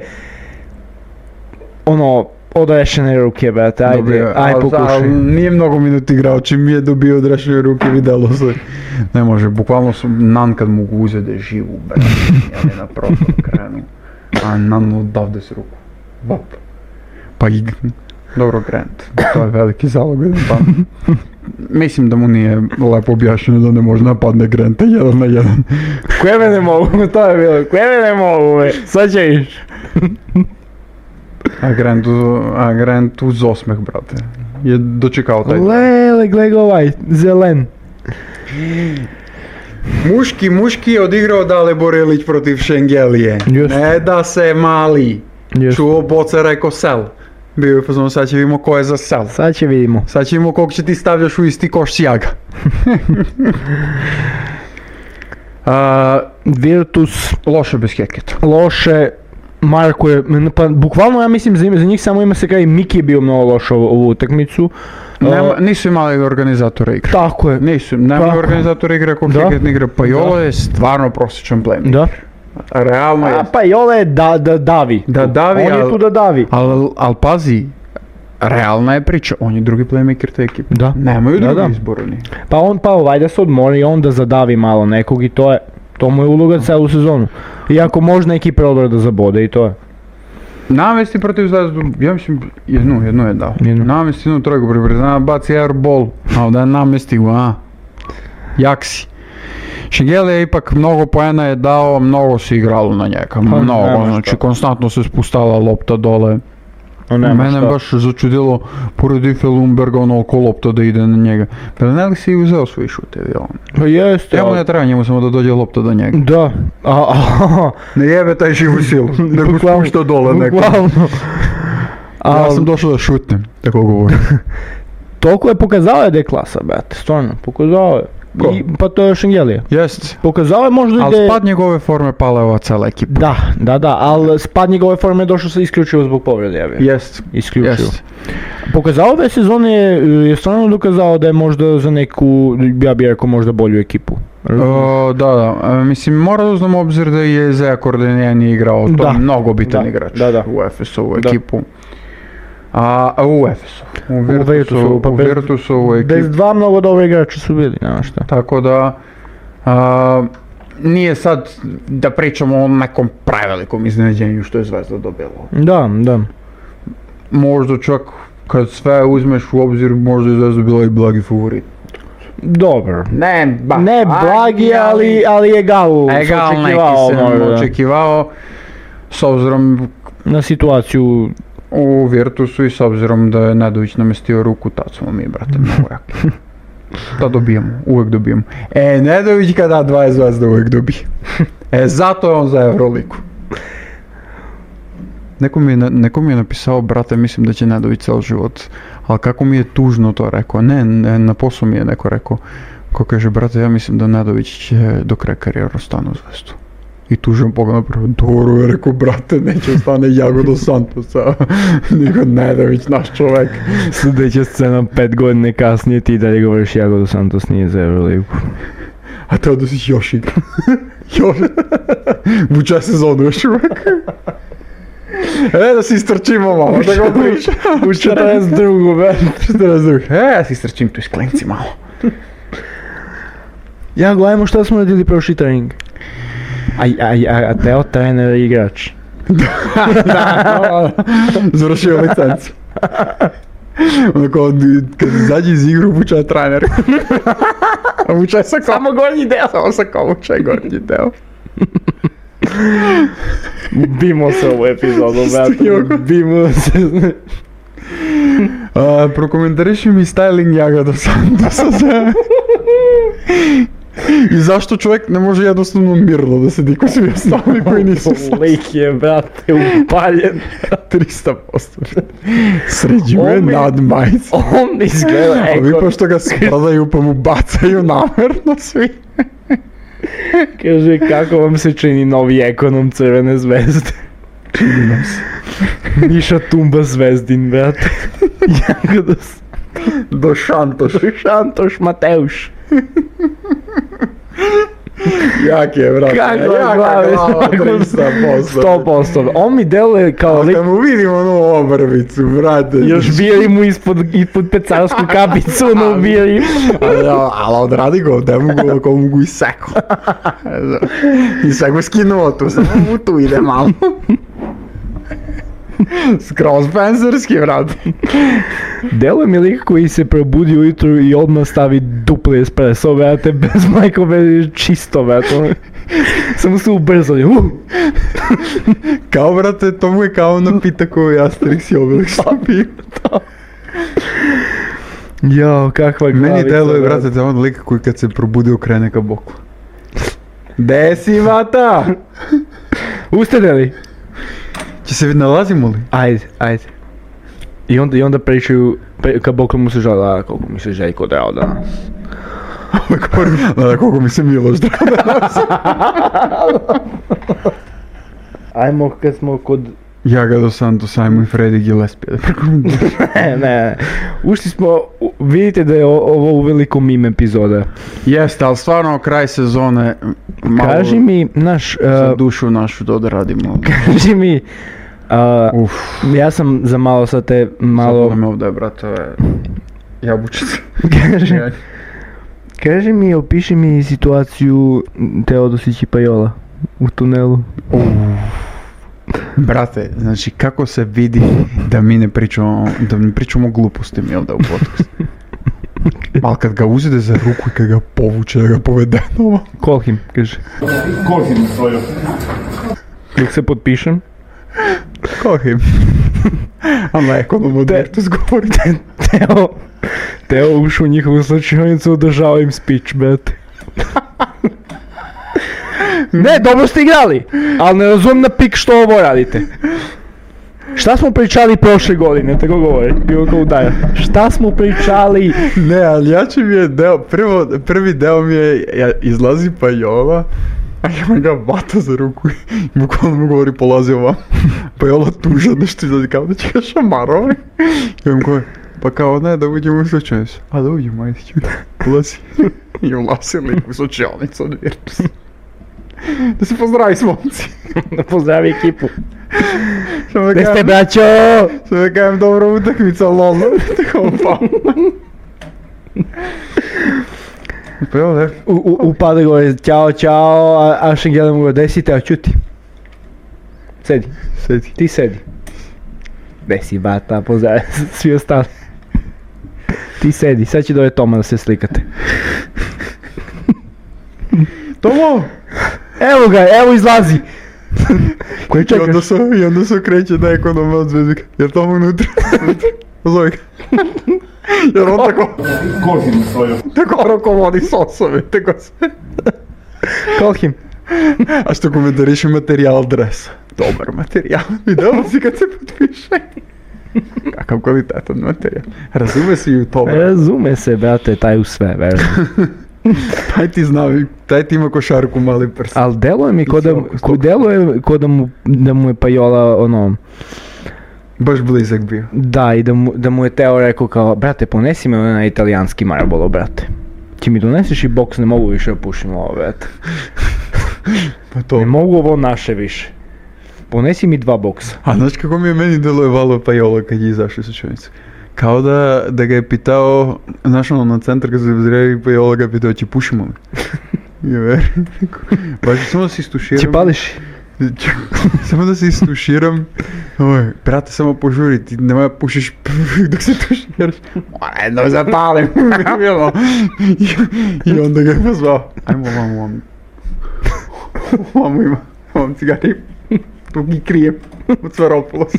ono, odrešene ruke, brate, ajde pokušaj. Ali nije mnogo minuti igrao, čim mi je dobio odrešene ruke, vidjelo se. Ne može, bukvalno Nan kad mogu uzeti da je živu, brate, ja ne na protom krenu. A Nan odavde se ruku. Vop. Pa i... Dobro, Grant, to je veliki zalog. Mislim da mu nije lepo objašnjeno da ne može napadne Granta 1 na 1. Koje me ne mogu, to je bilo, koje me ne mogu, sad će iš. A Grant uz osmeh, brate, je dočekao taj. Lele, gledaj ovaj, zelen. Muški je odigrao Dale Borelić protiv Šengelije. Just. Ne da se mali. Just. Čuo Boca rekao sel. Bio je fazon, sad će vidimo ko je za sel. Sad će vidimo. Sad će vidimo koliko će ti stavljaš u isti koš sjaga. Virtus Loše bez Heketa. loše, Marko je, pa bukvalno ja mislim za njih samo ima se kaj Miki je bio mnogo loš ovu utakmicu. Nisu imali organizatore igre. Tako je. Nema Tako. organizatora igre ako Da. Heket ne igra. Pa Jola je stvarno prosječan playmaker. Da. Realno je. Pa Jole je da davi. Da davi, On je tu da davi. Al pazi, realna je priča, on je drugi playmaker te ekipe. Da. Nemaju Da, drugi da. izbora ni. Pa on valjda se odmori i on da zadavi malo nekog i to mu je uloga celu sezonu. Iako možda neki problem da zabode i to je. Namesti protiv Zvezdu, ja mislim, jednu je dao. Jednu. Namesti jednu trojku priprezna, baci airball, a da namesti go, jak si. Šengel je ipak mnogo poena je dao, mnogo se igralo na njega, mnogo, nema znači šta. konstantno se spustala lopta dole. Mene baš začudilo, pored Ife Lundberga, onoliko lopta da ide na njega. Belinelli si uzeo svoj šutevi, Pa jeste. Evo ne treba njemu samo da dođe lopta do njega. Da. Ne jebe taj živu silu, nego Bukvalno, spušta dole neko. Bukvalno. Ja sam došao da šutnem, tako govorim. Toliko je pokazao da je klasa, brate, stvarno, pokazao je. Ko? Pa to je Šengelija. Jest. Pokazao je možda Ali da je... spad njegove forme pala je ova cela ekipa. Da, ali spad njegove forme je došao se isključivo zbog povrede, ja bih. Jest. Isključivo. Jest. Pokazao ove sezone je stvarno dokazao da je možda za neku, ja bih rekao možda bolju ekipu. Da. Mislim, mora da uzmem obzir da je Zeja Kordenjeni igrao, to Da. je mnogo bitan Da, igrač da. u Efesovu Da. ekipu. U Efesu. U pa Virtusovu ekipu. bez dva mnogo dobra igrača su bili, nema šta. Tako da, nije sad da pričamo o nekom prevelikom iznenađenju što je Zvezda dobila. Da. Možda čak kad sve uzmeš u obzir, možda je Zvezda bila i blagi favorit. Dobro. Ne Blagi, ali egal. Egal neki sam očekivao, s obzirom Na situaciju. u Virtusu i s obzirom da je Nedović namestio ruku, tad smo mi, brate, mnogo jaki. Da dobijemo, uvek dobijemo. Nedović kada 20 Zvezda uvek dobije. Zato je on za Euroligu. Neko mi je napisao, brate, mislim da će Nedović cel život, ali kako mi je tužno to rekao, ne, na poslu mi je neko rekao, ko kaže, brate, ja mislim da Nedović će do kraja karijera ostane u Zvezdu. I tužem pogled napravo, dobro je rekao, brate, neće ostane Iago dos Santosa, nego Nedović, naš čovek. Sljedeća scena 5 godine kasnije ti dalje govoriš Iago dos Santos nije za Euroligu. A te odnosiš još igra. Još. Vuče sezonu još uvek. Da si istrčimo malo, da ga priča. U 42. be. 42. Ja si istrčim tu iz klinci malo. Ja gledajmo šta smo radili prošli trening. A Teo trener i igrač. Završio licencu. Onako, kad izađe iz igru, vuče je trener. A vuče sa kao... Samo gornji deo. Samo sa kao vuče gornji deo. Bimo se ovu epizodu, brate. Bimo se. Prokomentariši mi styling Iaga dos Santosa. I zašto čovjek ne može jednostavno mirno da sedi ko svi ostali koji nisu Lik je, brate, upaljen. 300%. Sređuje nad majice. On izgleda A vi pošto ga spradaju pa mu bacaju namerno svi. Kaže, kako vam se čini novi ekonom Crvene zvezde? Čini nam se. Miša Tumba Zvezdin, brate. Jako Do Šantoš. Šantoš Mateuš. Jak je, brate. Kako je glava, glava, 300%. 100%. On mi deluje kao Ali lik. kad mu vidimo onu obrvicu, brate. Još bije mu ispod pecarsku kapicu, no bije im. Ali odradi go, da mu go iseko. I sve go skinuo tu, samo mu tu ide malo. Skroz penserski, brate. Deluje mi lik koji se probudi ujutru i odmah stavi dupli espresso, brate, bez majkove, čisto, brate. Samo se ubrzali. Kao, brate, to mu je kao napitak koji Asterix i Obelix što piju. Jao, kakva glavica. Meni deluje, brate, da on lik koji kad se probudi okrene ka boku. Gde si, vata? Ustede li? Će se nalazimo li? Ajde. I onda pričaju, kad Bog mu se žala, koliko mi se Željko drao danas. Da, koliko mi se Miloš drao danas. Ajmo kad smo kod... Jaga dos Santos, ajmo i Freddy Gillespie. Ne. Ušli smo, vidite da je ovo uveliko meme epizoda. Jeste, ali stvarno kraj sezone malo... Kaži mi, za dušu našu da odradimo. Kaži mi, ja sam za malo sad te malo... Sad me ovdje, brate, jabučice. Kaži mi, opiši mi situaciju Teodosić i Pajola u tunelu. Brate, znači kako se vidi da mi ne pričamo gluposti mi ovdje u podcastu. Ali kad ga uzide za ruku i kad ga povuče, da ga povede nova. Call him, kaže. Call him svoju. Dok se potpišem. Call him. A na ekonom odvrtus govorite. Teo ušao u njihovu slučajnicu, održava im speech, brate. Ne, dobro ste igrali, ali ne razumijem na pik što ovo radite. Šta smo pričali prošle godine, tako govori, bilo kao udaja. Šta smo pričali? Ne, ali jači mi je deo, prvi deo mi je, izlazi Pajola, a ja ga vata za ruku i bukvalno mu govori polazi ovam. Pajola tuža nešto izlazi kao da će ga šamarovi. I on govori, pa kao ne, da uđemo u slučajnicu. A da uđemo, ajde ću, ulazi. I ulazili u slučajnicu od Virtusa. Da se pozdravi s momci. Da pozdravi ekipu. Gde ste, braćo? Što da kajem dobra utakmica, lol. Tako pa. Pa evo ne. Upada gore, ćao, a še gledam gore, gde si Teo, čuti. Sedi. Ti sedi. Gde si, bata, pozdravi svi ostali. Ti sedi, sad će doje Toma da se slikate. Tomo! Evo ga, evo izlazi! Koji čekaš? I onda se okreće na ekonoma od zvezika. Jer Tomo unutra. Pozove ga. Jer on tako... Call him svoju. Tako rukovodi s osobe, tako sve. Call him. A što komentariše materijal dresa? Dobar materijal. Vidjela si kad se potpiše. Kakav kvalitetan materijal. Razume se i u tome. Razume se, brate, taj u sve, verno. Taj ti ima košarku mali prst. Ali deluje mi ko da mu je Pajola ono... Baš blizak bio. Da, i da mu je Teo rekao kao, brate, ponesi me na italijanski Marlboro, brate. Ti mi doneseš i boks, ne mogu više da pušim ovo, brate. Pa to. Ne mogu ovo naše više. Ponesi mi 2 boksa. A znaš kako mi je meni deluje Pajola kad je izašao iz slučajnice? Kao da ga je pitao, znaš ono na centar kad se zreli Pajola ga je pitao, će pušimo li? Je veri. Baš samo da se istuširam. Će pališ? Samo da se istuširam. Brate, samo požuri, ti nemoj pušiš dok se tuširaš. Jedno zapalim. I onda ga je pozvao. Ajmo vam. Vam cigari. Tu gi krijem. Od Svaropulosa.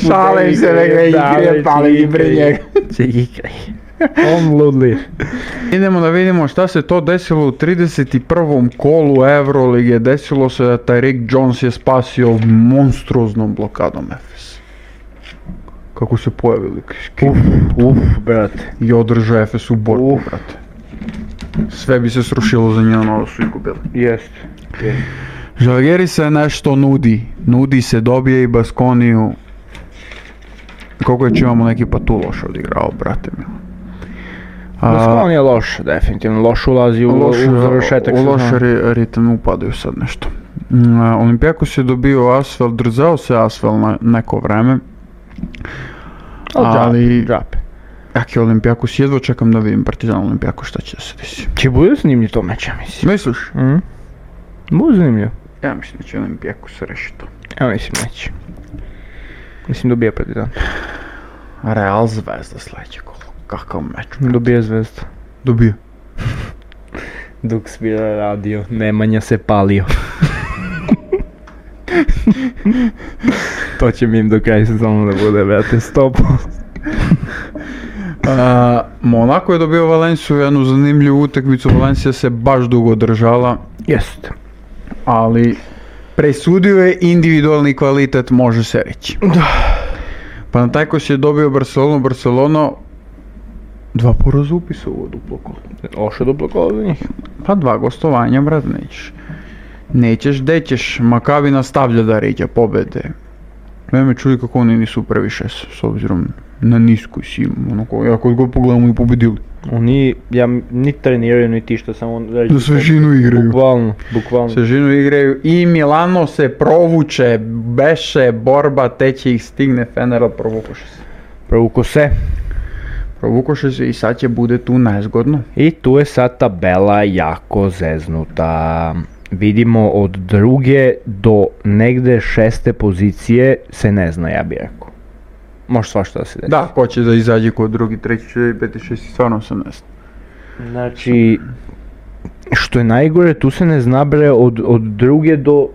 Šalim se da ga i krijem, palim i pre njega. Će gi krijem. On ludli. Idemo da vidimo šta se to desilo u 31. kolu Eurolige. Desilo se da taj Rick Jones je spasio monstruoznom blokadom Efes. Kako se pojavili brate. I održao Efes u borbu, brate. Sve bi se srušilo za njeno, ovo su izgubili. Jest. Žalgiris se nešto nudi se, dobije i Baskoniju. Koliko je imamo neki pa tu loš odigrao, brate mi. Baskonija je loš, definitivno. Loš ulazi u završetak. U loš ritam upadaju sad nešto. Olimpijakos je dobio Asvel, drzao se Asvel na neko vreme. Ali... Džape. Jak je Olimpijakos, jedva čekam da vidim Partizan Olimpijakos šta će da se desi. Će bude zanimljiv to meč, ja mislim. Misliš? Bude zanimljiv. Ja mislim da će Olimpijakos rešiti to. Ja mislim neće. Mislim dobija Partizan. Real Zvezda sljedeće kolo. Kakav meč? Dobija Zvezda. Dobija. Dok svira radio, Nemanja se palio. To će mi im do kraja sezonu da bude, brate, 100%. Monako je dobio Valenciju, jednu zanimljivu utakmicu, Valencija se baš dugo držala, Jeste. ali presudio je individualni kvalitet, može se reći. Panathinaikos je dobio Barcelona 2 poraza upisa u duplo kolo. Oše duplo kolo za njih. Pa 2 gostovanja, brat, nećeš, dećeš, Makabi nastavlja da ređa pobede. Me čudi kako oni nisu previše s obzirom na nisku silu, onako, ako god pogledamo i pobedili. Oni, ni treniraju, ni ti što samo... Na svežinu igraju. Bukvalno. Svežinu igraju i Milano se provuče, beše, borba, teće ih stigne, Feneral provukoše se i sad će bude tu nezgodno. I tu je sad tabela jako zeznuta. Vidimo od 2. do negde 6. pozicije se ne zna, ja bih rekao. Može svašta da se desi. Da, ko će da izađe kod 2., 3., 4., 5., 6., stvarno se ne zna. Znači, što je najgore, tu se ne zna bre od 2. do...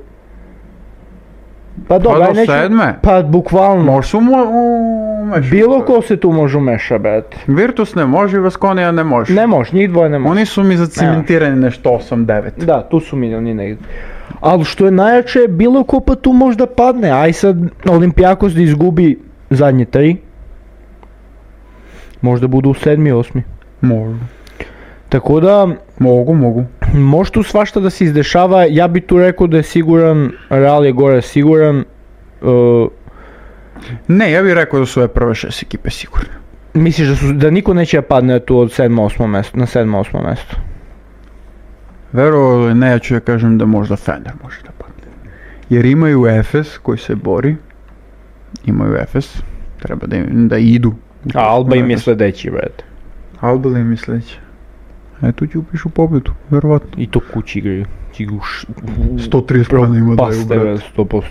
Pa dobro, do 7. Pa bukvalno. Može se umešati. Bilo ko se tu može umeša, brate. Virtus ne može, Vaskonija ne može. Ne može, njih dvoje ne može. Oni su mi zacimentirani nešto 8-9. Da, tu su mi oni negdje. Ali što je najjače, bilo ko pa tu možda padne. Aj sad Olimpijakos da izgubi zadnje 3. Možda budu u 7. 8. Može. Tako da... Mogu. Može tu svašta da se izdešava, ja bi tu rekao da je siguran, Real je gore siguran. Ne, ja bih rekao da su ove prve 6 ekipe sigurne. Misliš da niko neće da padne tu od 7-8 mjesto, na 7-8 mjesto? Verovali ne, ja ću da kažem da možda Fener može da padne. Jer imaju Efes koji se bori. Treba da idu. A Alba im je sljedeći, brate. Alba im je sljedeći. Tu ti upišu pobjedu, verovatno. I to kući igraju. 130 pojena ima daju, brate. 100%.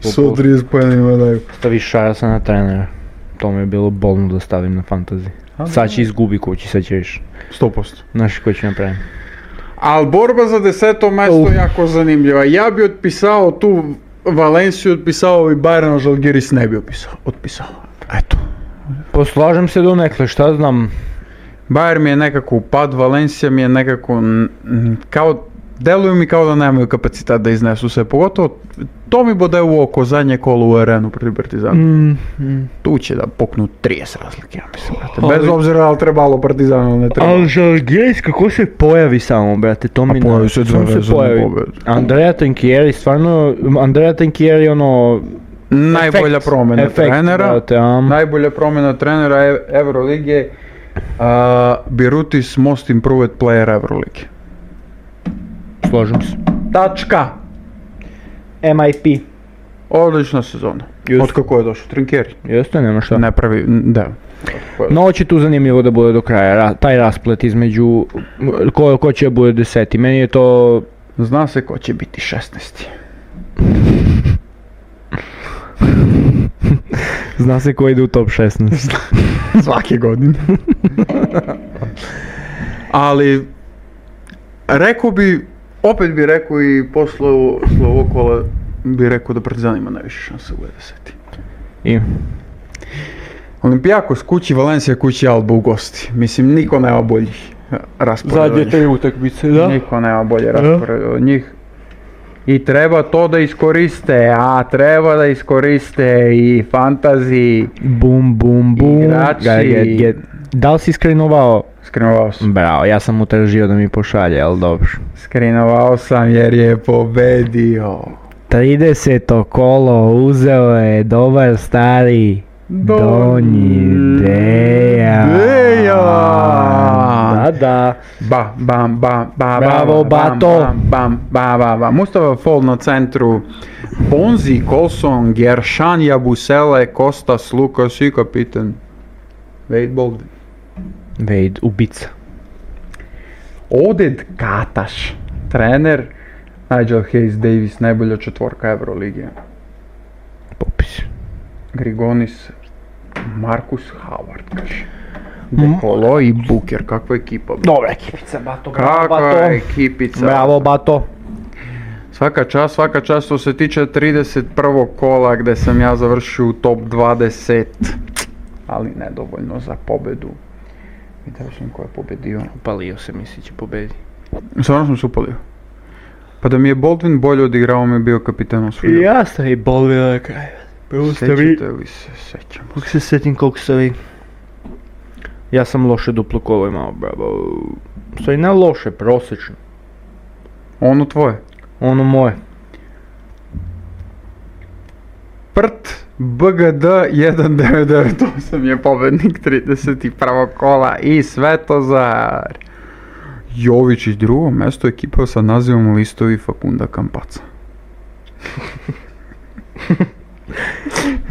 130 pojena ima daju. Staviš Šarasa na trenera. To mi je bilo bolno da stavim na fantasy. Sad će izgubi kući, sad će viš. 100%. Znaš ko će napraviti. Ali borba za 10. mjesto jako zanimljiva. Ja bi otpisao tu Valenciju, otpisao i Bayern, Žalgiris ne bi otpisao. Eto. Poslažem se do nekle, šta znam. Bayern mi je nekako upad, Valencija mi je nekako kao, deluju mi kao da nemaju kapacitet da iznesu sve, pogotovo to mi bode u oko zadnje kolo u arenu protiv Partizana. Tu će da poknu 30 razlike, ja mislim, brate. Bez obzira da li trebalo Partizanu ili ne trebalo. Ali Žalgiris kako se pojavi samo, brate, to mi pojavi se pojavi. Andrea Trinchieri, stvarno, Andrea Trinchieri ono... Najbolja promjena trenera, najbolja promjena trenera Evrolige. Birutis most improved player Evrolige. Složim se. Tačka. MIP. Odlična sezona. Od kako je došao Trinchieri. Jeste, nema šta. Ne pravi, da. No, će tu zanimljivo da bude do kraja, taj rasplet između ko će bude 10. Meni je to... Zna se ko će biti 16. Zna se ko ide u top 16. Svake godine. Ali opet bi rekao i posle ovog kola bi rekao da Partizan ima najviše šanse u 10. I? Olimpijakos kući, Valencija kući, Alba u gosti. Mislim, niko nema boljih rasporeda. Zadnje 3 utakmice, da? Niko nema bolje rasporeda od njih. I treba to da iskoriste, treba da iskoriste i fantasy, bum, igrači. Da li si skrinovao? Skrinovao sam. Bravo, ja sam mu tražio da mi pošalje, ali dobro. Skrinovao sam jer je pobedio. 30. kolo uzeo je dobar stari Donji Dejan. Da. Bravo, Bato. Mustafa Fall na centru. Bonzi, Colson, Geršan, Jabusele, Kostas, Lukas i kapitan Wade Bogdan. Wade, ubica. Oded Kataš, trener. Nigel Hayes Davis, najbolja četvorka Evrolige. Popis. Grigonis, Marcus Howard, kaže. Dekolo i Booker, kakva ekipa. Dobra ekipica, Bato. Kakva ekipica. Bravo, Bato. Svaka čast što se tiče 31. kola gdje sam ja završio u top 20. ali nedovoljno za pobedu. Vidio sam ko je pobedio. Upalio se, misli će pobedi. Stvarno sam se upalio. Pa da mi je Baldwin bolje odigrao, mi je bio kapitan osvojio. Ja sam i Baldwin na kraju. Sećate li se? Sećamo Kako se sjetim koliko ste vi? Ja sam loše duplo kolo imao, bravo. Sve ne loše, prosječno. Ono tvoje. Ono moje. Prt BGD 1998 je pobednik 31. kola i Svetozar Jovičić drugo mjesto ekipa sa nazivom Listovi Fakunda Kampaca.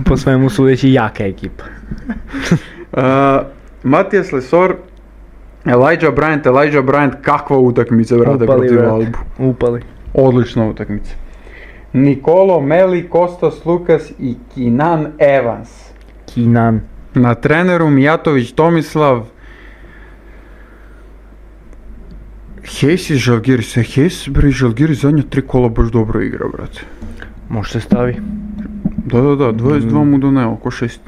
Po svemu sudeći jaka ekipa. Matijas Lesor, Elijah Bryant, kakva utakmica, brate, Upali, protiv brate. Albu. Upali. Odlična utakmica. Nikolo, Meli, Kostas, Lukas i Kinan Evans. Kinan. Na treneru Mijatović Tomislav. Hejs i Žalgiris. Hejs, bre, Žalgiris zadnja 3 kola baš dobro igra, brate. Može se stavi. Da, 22 mu doneo, oko 6.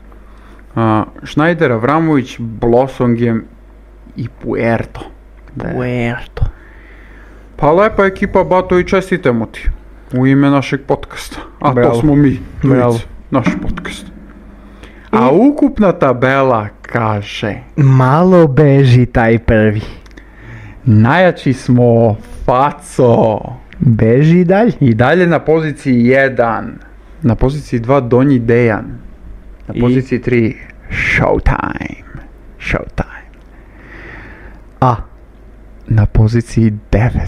Schneider, Avramović, Blosongem i Puerto. Puerto. Pa lepa ekipa, Bato, i čestitamo ti. U ime našeg podcasta. A Bravo. to smo mi. Bravo. Dvojica. Naš podcast. A ukupna tabela kaže: Malo beži taj prvi. najjači smo, faco. Beži dalje. I dalje na poziciji 1. Na poziciji 2 Donji Dejan. Na I? poziciji 3 Showtime. A. Na poziciji 9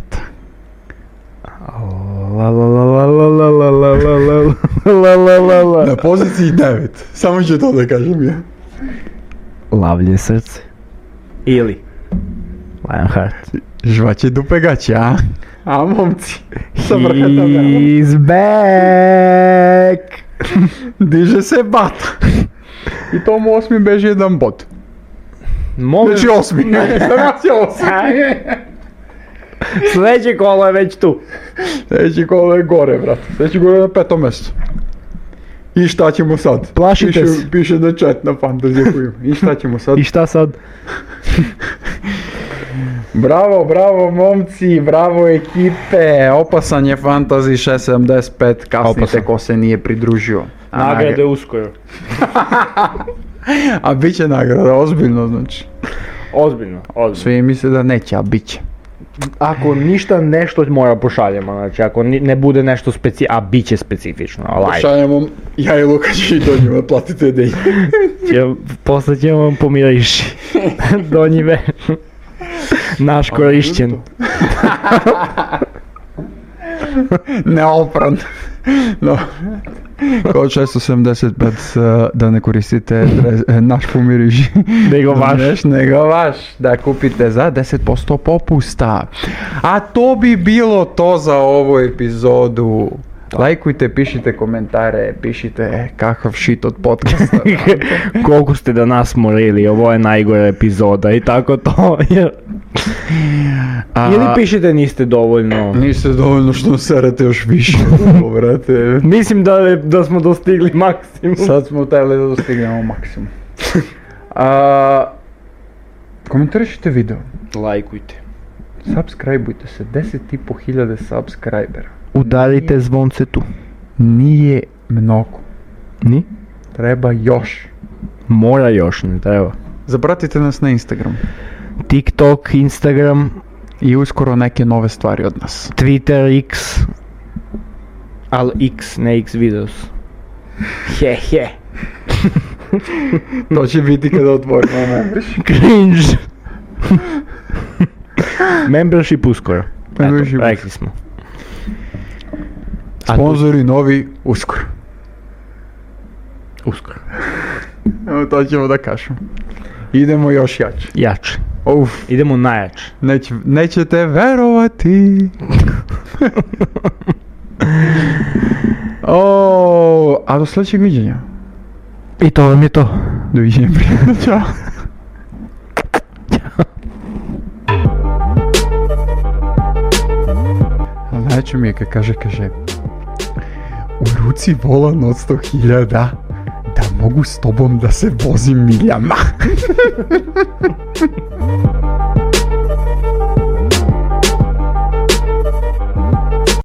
na poziciji 9. Samo ću to da kažem ja. Lavlje srce. Ili Lionheart. Žvaće dupe gaće, a? A momci. Sa vrha tabela. He's back. Diže se Bata. I tomu 8. beži jedan bod. Može. Znači 8. Znači 8. Sljedeće kolo je već tu. Sljedeći kolo je gore, brate. Sljedeći kolo je na 5. mjestu. I šta ćemo sad? Plašite se. Piše na chat na Fantasy koju. I šta ćemo sad? I šta sad? Bravo momci, bravo ekipe. Opasan je Fantasy 675. Kasnite Opasan. ko se nije pridružio. Nagrade uskoro. A bit će nagrada, ozbiljno znači. Ozbiljno. Svi misle da neće, a bit će. Ako ništa nešto mora pošaljemo, znači ako ne bude nešto a bit će specifično, ali Šaljemo, ja i Lukač i do njima, platite da posle ćemo vam pomiriši. Donji ve. Naš korišćen. Neopran. No. Kao 675 da ne koristite naš pomiriši. Nego vaš. Da kupite za 10% popusta. A to bi bilo to za ovu epizodu. Lajkujte, pišite komentare, pišite kakav shit od podcasta. Koliko ste da nas morili, ovo je najgora epizoda i tako to. Ili pišite niste dovoljno. Niste dovoljno što serete još više, brate. Mislim da smo dostigli maksimum. Sad smo trebali da dostignemo maksimum. Komentarišite video. Lajkujte. Subscribeujte se, 10.500 subscribera. Udarite zvonce tu. Nije mnogo. Ni? Treba još. Mora još, ne treba. Zapratite nas na Instagram. TikTok, Instagram. I uskoro neke nove stvari od nas. Twitter, X. Al X, ne X videos. He. To će biti kada otvorimo membership. Cringe. Membership uskoro. Membership. Rekli smo. Sponzori novi uskoro. Uskoro. Evo to ćemo da kažemo. Idemo još jače. Jače. Uf. Idemo najjače. Nećete verovati. A do sljedećeg viđenja. I to vam je to. Doviđenja, prijatno, čao. Najče mi je kad kaže u ruci volan od 100.000 da mogu mogu s tobom da se vozim miljama.